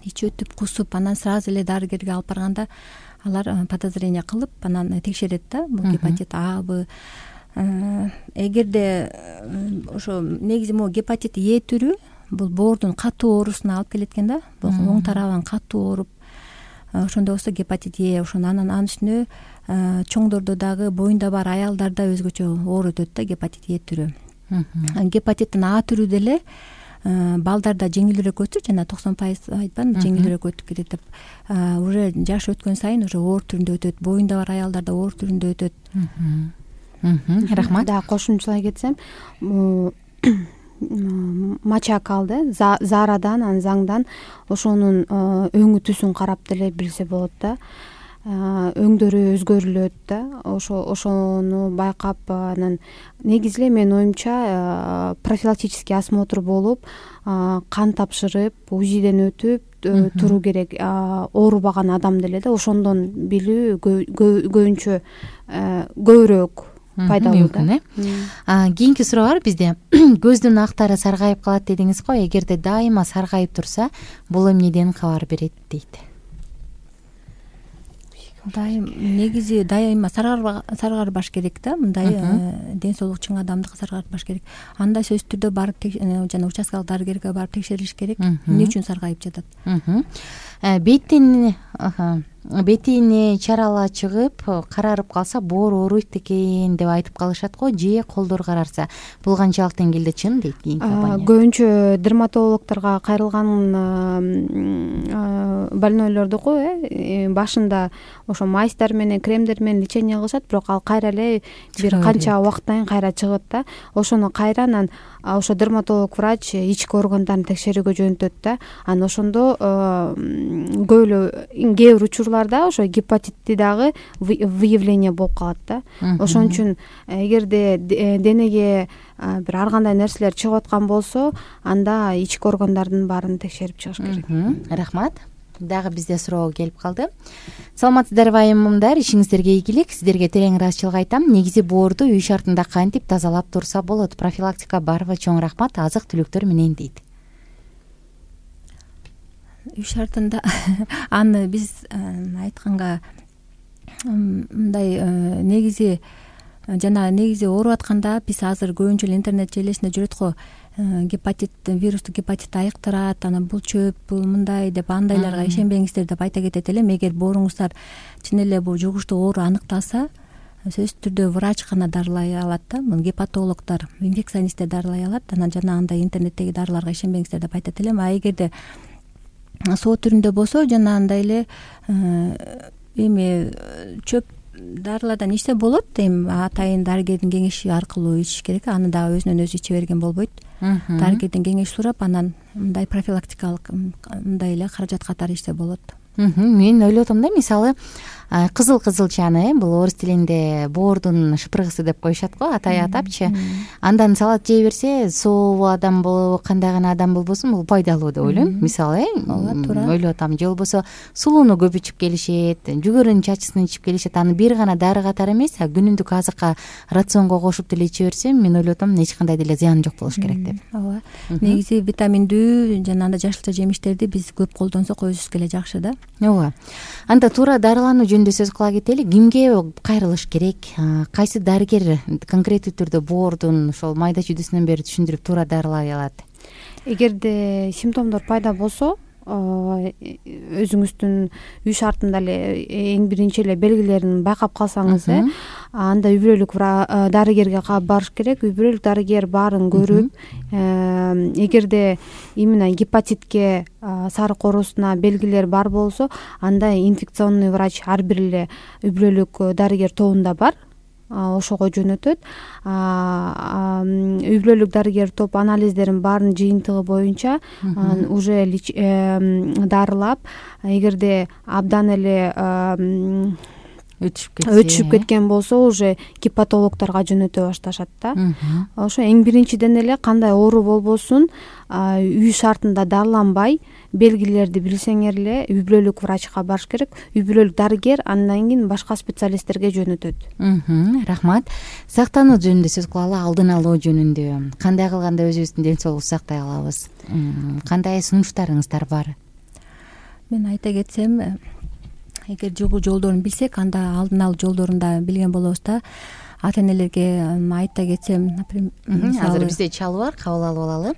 Ич өтүп, кусуп, анан сразу эле дарыгерге алып барганда алар подозрение кылып, анан текшерет да, бул гепатит Абы. Эгерде ошо негизи могу гепатит Е түрү бул боордун катуу оорусуна алып келет экен да. Бул оң тарабан катуу ооруп, ошондой болсо гепатит Е, ошону анан үстүнө чоңдордо дагы, боюнда бар аялдарда өзгөчө оор өтөт да гепатит Е түрү. Гепатиттин А түрү деле балдарда жеңилирөөк өтүп, жана 90% айтпадымбы, жеңилирөөк өтүп кетет деп. Уже жаш өткөн сайын уже оор түрүндө өтөт, боюнда бар аялдарда оор түрүндө өтөт. Рахмат. Да, кошумчалай кетсем, мачакалды Зарадан, Анзаңдан ошонун өңү түсүн карап деле билсе болот да. Өңдөрү өзгөрүлөт да, ошону байкап, анан негизи эле менин оюмча профилактический осмотр болуп, кан тапшырып, УЗИден өтүп туруу керек, оорубаган адам деле да, ошондон билүү көбүнчө көбүрөөк пайдалуу да. Кийинки суроо бар бизде. Көздүн актары саргайып калат дедиңиз го, эгерде дайыма саргайып турса, бул эмнеден кабар берет дейт? Негизи дайыма саргарбаш керек да, мындай ден соолугу чың адамдыкы саргарбаш керек. Анда сөзсүз түрдө барып жана участкалык дарыгерге барып текшерилиш керек, эмне үчүн саргайып жатат. Бетине чарала чыгып, карарып калса боору ооруйт экен деп айтып калышат го, же колдор карарса. Бул канчалык деңгээлде чын дейт кийинки компания? Көбүнчө дерматологдорго кайрылган больнойлордуку башында ошо майстар менен, кремдер менен лечение кылышат, бирок ал кайра эле бир канча убакыттан кийин кайра чыгат да. Ошону кайра анан ошо дерматолог врач ички органдарын текшерүүгө жөнөтөт да. Анан ошондо кээ бир учурларда ошо гепатитти дагы выявление болуп калат да. Ошон үчүн эгерде денеге бир ар кандай нерселер чыгып аткан болсо, анда ички органдардын баарын текшерип чыгыш керек. Рахмат. Дагы бизде суроо келип калды. Саламатсыздарбы айымымдар, ишиңиздерге ийгилик. Сиздерге терең ыраазычылык айтам. Негизи боорду үй шартында кантип тазалап турса болот? Профилактика барбы? Чоң рахмат. Азык түлүктөр менен дейт. Үй шартында аны биз айтканга мындай негизи ооруп атканда биз азыр көбүнчө интернет желесинде жүрөт го, вирустук гепатит айыктырат, анан бул чөп, бул мындай деп, андайларга ишенбеңиздер деп айта кетет элем. Эгер бооруңуздар чын эле бул жугуштуу оору аныкталса, сөзсүз түрдө врач гана дарылай алат да, гепатологдор, инфекционисттер дарылай алат. Анан жана андай интернеттеги дарыларга ишенбеңиздер деп айтат элем. Эгерде соо түрүндө болсо, жана андай эле эми чөп дарылардан ичсе болот, эми атайын дарыгердин кеңеши аркылуу ичиш керек. Аны дагы өзүнөн өзү иче берген болбойт. Дарыгерден кеңеш сурап, анан мындай профилактикалык мындай эле каражат катары ичсе болот. Мен ойлоп атам да, мисалы кызыл-кызылчаны, бул орус тилинде боордун шыпыргысы деп коюшат го, атай атапчы. Андан салат жей берсе, сообу адам болобу, кандай гана адам болбосун, бул пайдалуу деп ойлойм. Мисалы, ойлоп атам, же болбосо сулууну көп ичип келишет, жүгөрүнүн чачысын ичип келишет. Аны бир гана дары катары эмес, күнүмдүк азыкка, рационго кошуп деле иче берсем, мен ойлоп атам, эч кандай деле зыяны жок болуш керек деп. Ооба. Негизи витаминдүү жана анда жашылча жемиштерди биз көп колдонсок өзүбүзгө эле жакшы да. Ооба. Анда туура дарылануу жөнүндө сөз кыла кетели. Кимге кайрылыш керек? Кайсы дарыгер конкреттүү түрдө боордун ошол майда чүйдүсүнөн бери түшүндүрүп туура дарылай алат? Эгерде симптомдор пайда болсо, өзүңүздүн үй шартында эле эң биринчи эле белгилерин байкап калсаңыз, анда үй бүлөлүк дарыгерге барыш керек. Үй бүлөлүк дарыгер баарын көрүп, эгерде именно гепатитке, сарык оорусуна белгилер бар болсо, анда инфекционный врач ар бир эле үй бүлөлүк дарыгер тобунда бар, ошого жөнөтөт. Үй бүлөлүк дарыгер топ анализдерин баарын жыйынтыгы боюнча уже дарылап, эгерде абдан эле өтүшүп кеткен болсо уже гепатологдорго жөнөтө башташат да. Ошо эң биринчиден эле кандай оору болбосун үй шартында дарыланбай белгилерди билсеңер эле үй бүлөлүк врачка барыш керек. Үй бүлөлүк дарыгер андан кийин башка специалисттерге жөнөтөт. Рахмат. Сактануу жөнүндө сөз кылалы, алдын алуу жөнүндө кандай кылганда өзүбүздүн ден соолукту сактай алабыз? Кандай сунуштарыңыздар бар? Мен айта кетсем, эгер жугуу жолдорун билсек, анда алдын алуу жолдорун да билген болобуз да. Ата энелерге айта кетсем, например, азыр бизде чалуу бар, кабыл алып алалы.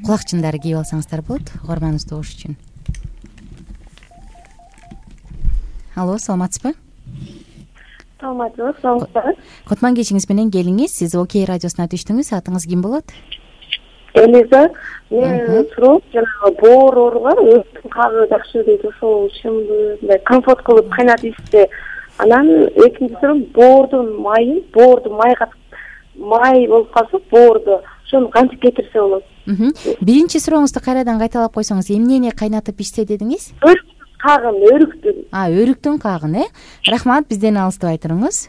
Кулакчындарды кийип алсаңыздар болот, угарманыбызды угуш үчүн. Алло, саламатсызбы? Саламатсызбы, саламатсызбы. Котман кечиңиз менен келиңиз. Сиз Окей радиосуна түштүңүз. Атыңыз ким болот? Элиза. Мен суроо жанагы боор ооруга өттүн кагы жакшы дейт, ошол чынбы? Мындай компот кылып кайнатып ичсе. Анан экинчи суроо боордун майын, боорду майга май болуп калса, боорду ошону кантип кетирсе болот? Биринчи сурооңузду кайрадан кайталап койсоңуз, эмнени кайнатып ичсе дедиңиз? Кагын, өрүктүн. Өрүктүн кагын, Рахмат, бизден алыстабай туруңуз.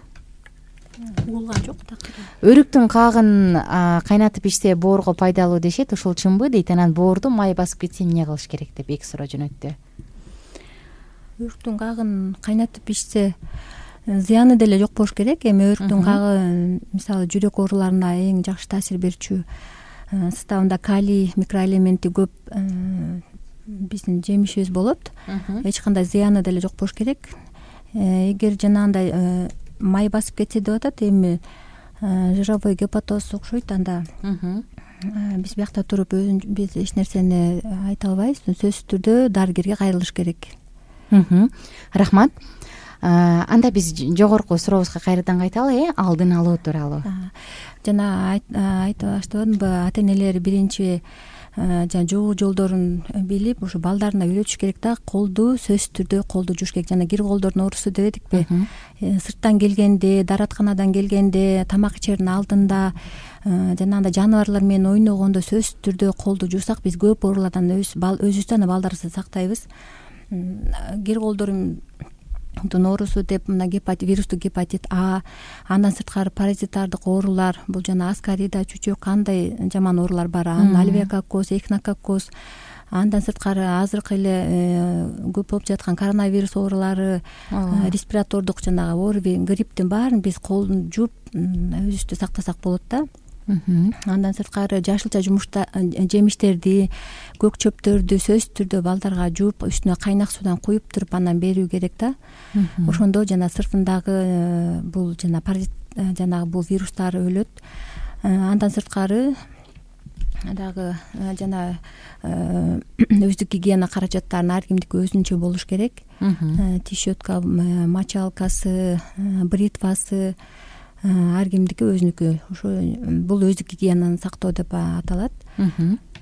Угулган жок да. Өрүктүн кагын кайнатып ичсе боорго пайдалуу дешет, ошол чынбы дейт. Анан боорду май басып кетсе эмне кылыш керек деп эки суроо жөнөттү. Өрүктүн кагын кайнатып ичсе зыяны деле жок болуш керек. Эми өрүктүн кагы мисалы жүрөк ооруларына эң жакшы таасир берчү. Составында калий микроэлементи көп биздин жемишибиз болот. Эч кандай зыяны деле жок болуш керек. Эгер жанагындай май басып кетсе деп атат, эми жировой гепатоз окшойт, анда биз биякта туруп биз эч нерсени айта албайбыз. Сөзсүз түрдө дарыгерге кайрылыш керек. Рахмат. Анда биз жогорку сурообузга кайрадан кайталы, алдын алуу тууралуу. Жана айта баштадымбы, ата энелер биринчи жана жугуу жолдорун билип, ушу балдарына үйрөтүш керек да. Колду сөзсүз түрдө колду жууш керек. Жана кир колдордун оорусу дебедикпи? Сырттан келгенде, дааратканадан келгенде, тамак ичердин алдында, жанагындай жаныбарлар менен ойногондо сөзсүз түрдө колду жуусак, биз көп оорулардан өзүбүздү жана балдарыбызды сактайбыз. Кир колдордун оорусу деп мына вирустук гепатит А, андан сырткары паразитардык оорулар, бул жана аскарида, чүчөк, кандай жаман оорулар бар. Альвеококкоз, эхинококкоз, андан сырткары азыркы эле көп болуп жаткан коронавирус оорулары, респиратордук жанагы ОРВИ, грипптин баарын биз колду жууп өзүбүздү сактасак болот да. Андан сырткары жашылча жемиштерди, көк чөптөрдү сөзсүз түрдө балдарга жууп, үстүнө кайнак суудан куюп туруп анан берүү керек да. Ошондо жана сыртындагы бул жана паразит жанагы бул вирустар өлөт. Андан сырткары дагы жана өздүк гигиена каражаттарын ар кимдики өзүнчө болуш керек. Тишөткө, мочалкасы, бритвасы ар кимдики өзүнүкү. Ошо бул өздүк гигиенаны сактоо деп аталат.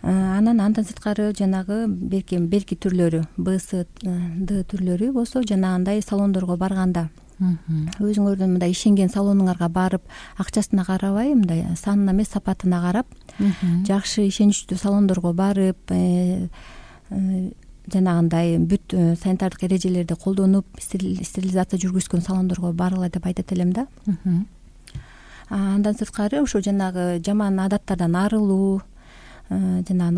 Андан сырткары жанагы берки түрлөрү, Б, С, Д түрлөрү болсо, жанагындай салондорго барганда өзүңөрдүн мындай ишенген салонуңарга барып, акчасына карабай, мындай санына эмес, сапатына карап, жакшы ишеничтүү салондорго барып, жанагындай бүт санитардык эрежелерди колдонуп, стерилизация жүргүзгөн салондорго баргыла деп айтат элем да. Андан сырткары ошо жанагы жаман адаттардан арылуу, жана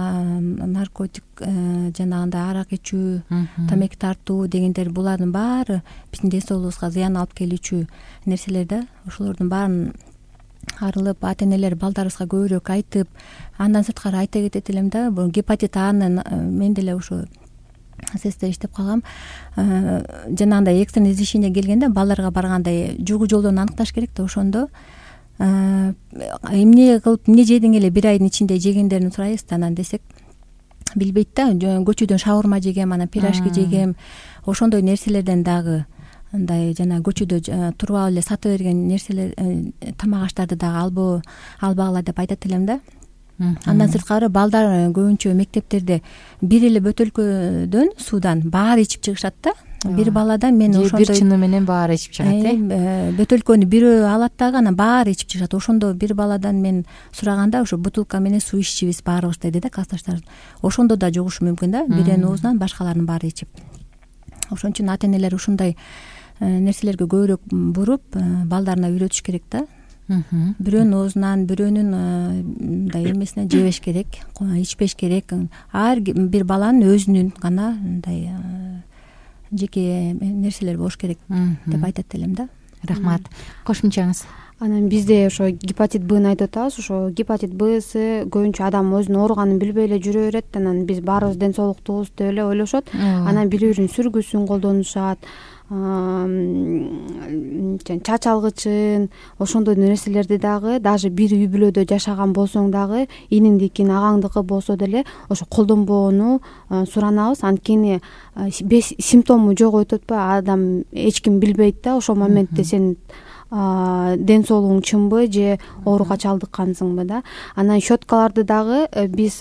наркотик, жанагындай арак ичүү, тамеки тартуу дегендер, булардын баары биздин ден соолугубузга зыян алып келүүчү нерселер да. Ошолордун баарын арылып, ата энелер балдарыбызга көбүрөөк айтып, андан сырткары айта кетет элем да, бул гепатит Аны мен деле ошо ССТ иштеп калгам. Жанагындай экстренный извещение келгенде балдарга барганда жугуу жолдорун аныкташ керек да. Ошондо эмне кылып, эмне жедиң эле бир айдын ичинде жегендерин сурайбыз да. Анан десек билбейт да, көчөдөн шаурма жегем, анан пирожки жегем, ошондой нерселерден дагы андай жана көчөдө туруп эле сата берген нерселер, тамак аштарды дагы албагыла деп айтат элем да. Андан сырткары балдар көбүнчө мектептерде бир эле бөтөлкөдөн суудан баары ичип чыгышат да. Бир баладан мен ошондой бир чыны менен баары ичип чыгат, бөтөлкөнү бирөө алат дагы, анан баары ичип чыгышат. Ошондо бир баладан мен сураганда, ошо бутылка менен суу иччүбүз баарыбыз деди да, классташтар. Ошондо да жугушу мүмкүн да, бирөөнүн оозунан башкалардын баары ичип. Ошон үчүн ата энелер ушундай нерселерге көбүрөөк буруп балдарына үйрөтүш керек да. Бирөөнүн оозунан, бирөөнүн мындай эмесинен жебеш керек, ичпеш керек. Ар бир баланын өзүнүн гана мындай жеке нерселери болуш керек деп айтат элем да. Рахмат. Кошумчаңыз? Анан бизде ошо гепатит Бны айтып атабыз. Ошо гепатит Б, С көбүнчө адам өзүнүн ооруганын билбей эле жүрө берет. Анан биз баарыбыз ден соолуктубуз деп эле ойлошот. Анан бири биринин сүргүсүн колдонушат, чач алгычын, ошондой нерселерди дагы даже бир үй бүлөдө жашаган болсоң дагы иниңдикин, агаңдыкы болсо деле ошо колдонбоону суранабыз. Анткени симптому жок өтүп атпайбы, адам эч ким билбейт да ошол моментте сен ден соолугуң чынбы же ооруга чалдыккансыңбы да. Анан щеткаларды дагы биз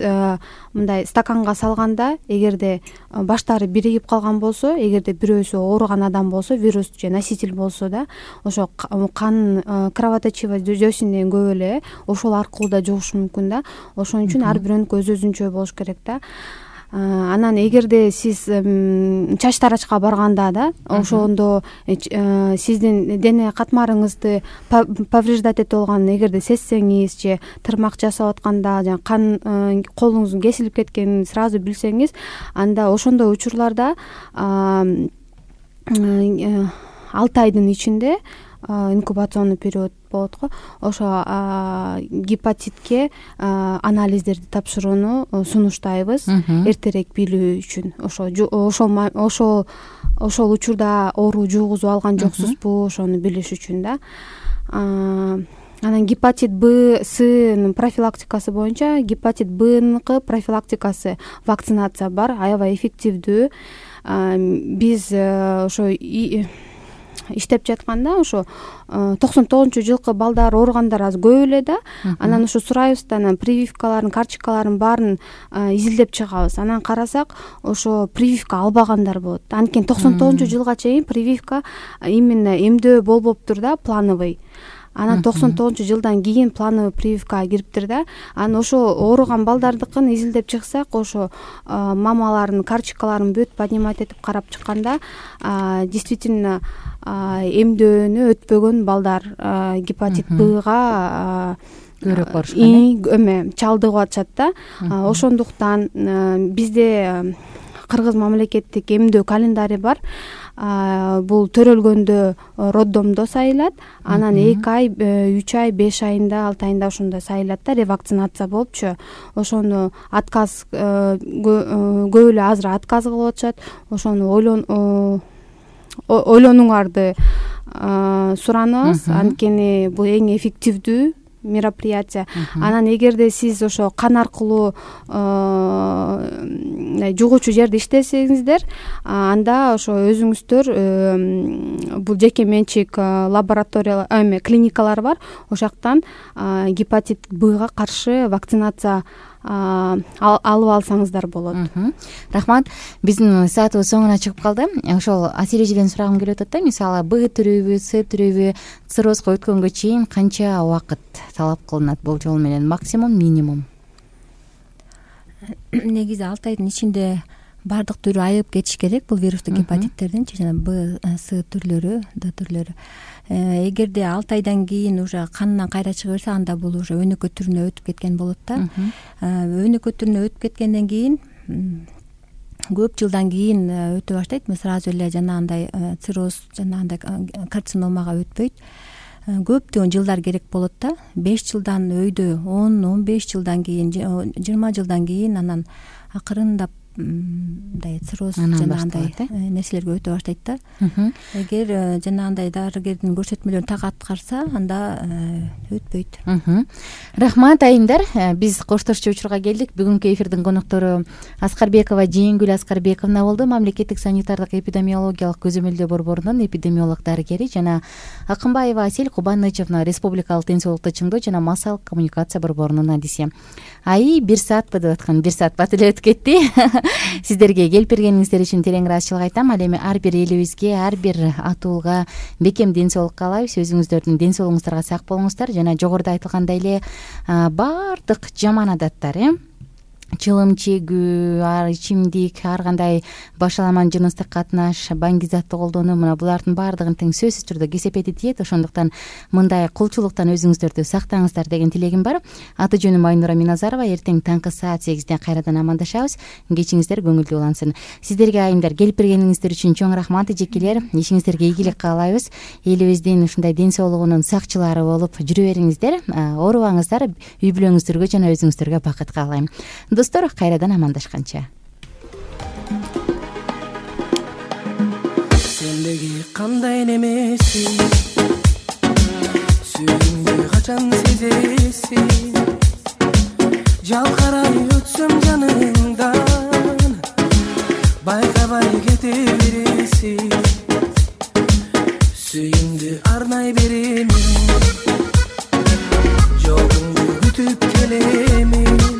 мындай стаканга салганда, эгерде баштары биригип калган болсо, эгерде бирөөсү ооруган адам болсо, вирус же носитель болсо да, ошо кан кровоточивый жүйөсүнөн көп эле ошол аркылуу да жугушу мүмкүн да. Ошон үчүн ар бирөөнүкү өзүнчө болуш керек да. Анан эгерде сиз чач тарачка барганда да, ошондо сиздин дене катмарыңызды повреждать этип алган эгерде сезсеңиз же тырмак жасап атканда жана кан колуңуздун кесилип кеткенин сразу билсеңиз, анда ошондой учурларда 6 айдын ичинде инкубационный период болот го, ошо гепатитке анализдерди тапшырууну сунуштайбыз эртерээк билүү үчүн. Ошол учурда оору жугузуп алган жоксузбу, ошону билиш үчүн да. Анан гепатит Б, С'нын профилактикасы боюнча гепатит Бныкы профилактикасы вакцинация бар, аябай эффективдүү. Биз ошо иштеп жатканда ошо 99-жылкы балдар ооругандар азыр көп эле да. Анан ошо сурайбыз да, анан прививкаларын, карточкаларын баарын изилдеп чыгабыз. Анан карасак, ошо прививка албагандар болот. Анткени 99-жылга чейин прививка именно эмдөө болбоптур да, плановый. Анан 99-жылдан кийин плановый прививкага кириптир да. Анан ошо ооруган балдардыкын изилдеп чыксак, ошо мамалардын карточкаларын бүт поднимать этип карап чыкканда, действительно эмдөөнү өтпөгөн балдар гепатит Бга көбүрөөк барышкан, чалдыгып атышат да. Ошондуктан бизде Кыргыз мамлекеттик эмдөө календари бар. Бул төрөлгөндө роддомдо сайылат, анан 2 ай, 3 ай, 5 айында, 6 айында ошондо сайылат да, ревакцинация болупчу. Ошону отказ көп эле азыр отказ кылып атышат. Ошону ойлонуңарды суранабыз, анткени бул эң эффективдүү мероприятие. Анан эгерде сиз ошо кан аркылуу жугуучу жерде иштесеңиздер, анда ошо өзүңүздөр бул жеке менчик лабораториялар, клиникалар бар. Ошоктан гепатит Бга каршы вакцинация алып алсаңыздар болот. Рахмат. Биздин саатыбыз соңуна чыгып калды. Ошол Асель эжеден сурагым келип атат да, мисалы Б түрүбү, С түрүбү циррозго өткөнгө чейин канча убакыт талап кылынат бул жол менен, максимум, минимум? Негизи 6 айдын ичинде баардык түрү айыгып кетиш керек бул вирустук гепатиттердин, жана Б, С түрлөрү, Д түрлөрү. Эгерде 6 айдан кийин уже канынан кайра чыга берсе, анда бул уже өнөкөт түрүнө өтүп кеткен болот да. Өнөкөт түрүнө өтүп кеткенден кийин көп жылдан кийин өтө баштайт. Сразу эле жанагындай цирроз, жанагындай карциномага өтпөйт. Көптөгөн жылдар керек болот да. 5 жылдан өйдө 10-15 жылдан кийин, 20 жылдан кийин анан акырындап мындай цирроз жанагындай нерселерге өтө баштайт да. Эгер жанагындай дарыгердин көрсөтмөлөрүн так аткарса, анда өтпөйт. Рахмат айымдар. Биз коштошчу учурга келдик. Бүгүнкү эфирдин коноктору Аскарбекова Жээнгүл Аскарбековна болду. Мамлекеттик санитардык эпидемиологиялык көзөмөлдөө борборунун эпидемиолог дарыгери, жана Акынбаева Асель Кубанычевна Республикалык ден соолукту чыңдоо жана массалык коммуникация борборунун адиси. Ай 1 саатпы деп аткан, 1 саат бат эле өтүп кетти. Сиздерге келип бергениңиздер үчүн терең ыраазычылык айтам. Ал эми ар бир элибизге, ар бир атуулга бекем ден соолук каалайбыз. Өзүңүздөрдүн ден соолугуңуздарга сак болуңуздар жана жогоруда айтылгандай эле баардык жаман адаттар, чылым чегүү, ичимдик, ар кандай башаламан жыныстык катнаш, баңги затты колдонуу, мына булардын баардыгын тең сөзсүз түрдө кесепети тиет. Ошондуктан мындай кулчулуктан өзүңүздөрдү сактаңыздар деген тилегим бар. Аты жөнүм Айнура Миназарова. Эртең таңкы саат 8-де кайрадан амандашабыз. Кечиңиздер көңүлдүү улансын. Сиздерге айымдар келип бергениңиздер үчүн чоң рахмат эжекелер. Ишиңиздерге ийгилик каалайбыз. Элибиздин ушундай ден соолугунун сакчылары болуп жүрө бериңиздер. Оорубаңыздар, үй бүлөңүздөргө жана өзүңүздөргө бакыт каалайм. Достор, кайрадан амандашканча. Сендеги кандай немесиң, сүйүүңдү качан сезесиң, жалкарай өтсөм жаныңдан, байкабай кете бересиң, сүйүүңдү арнай беремин, жолуңду күтүп келемин.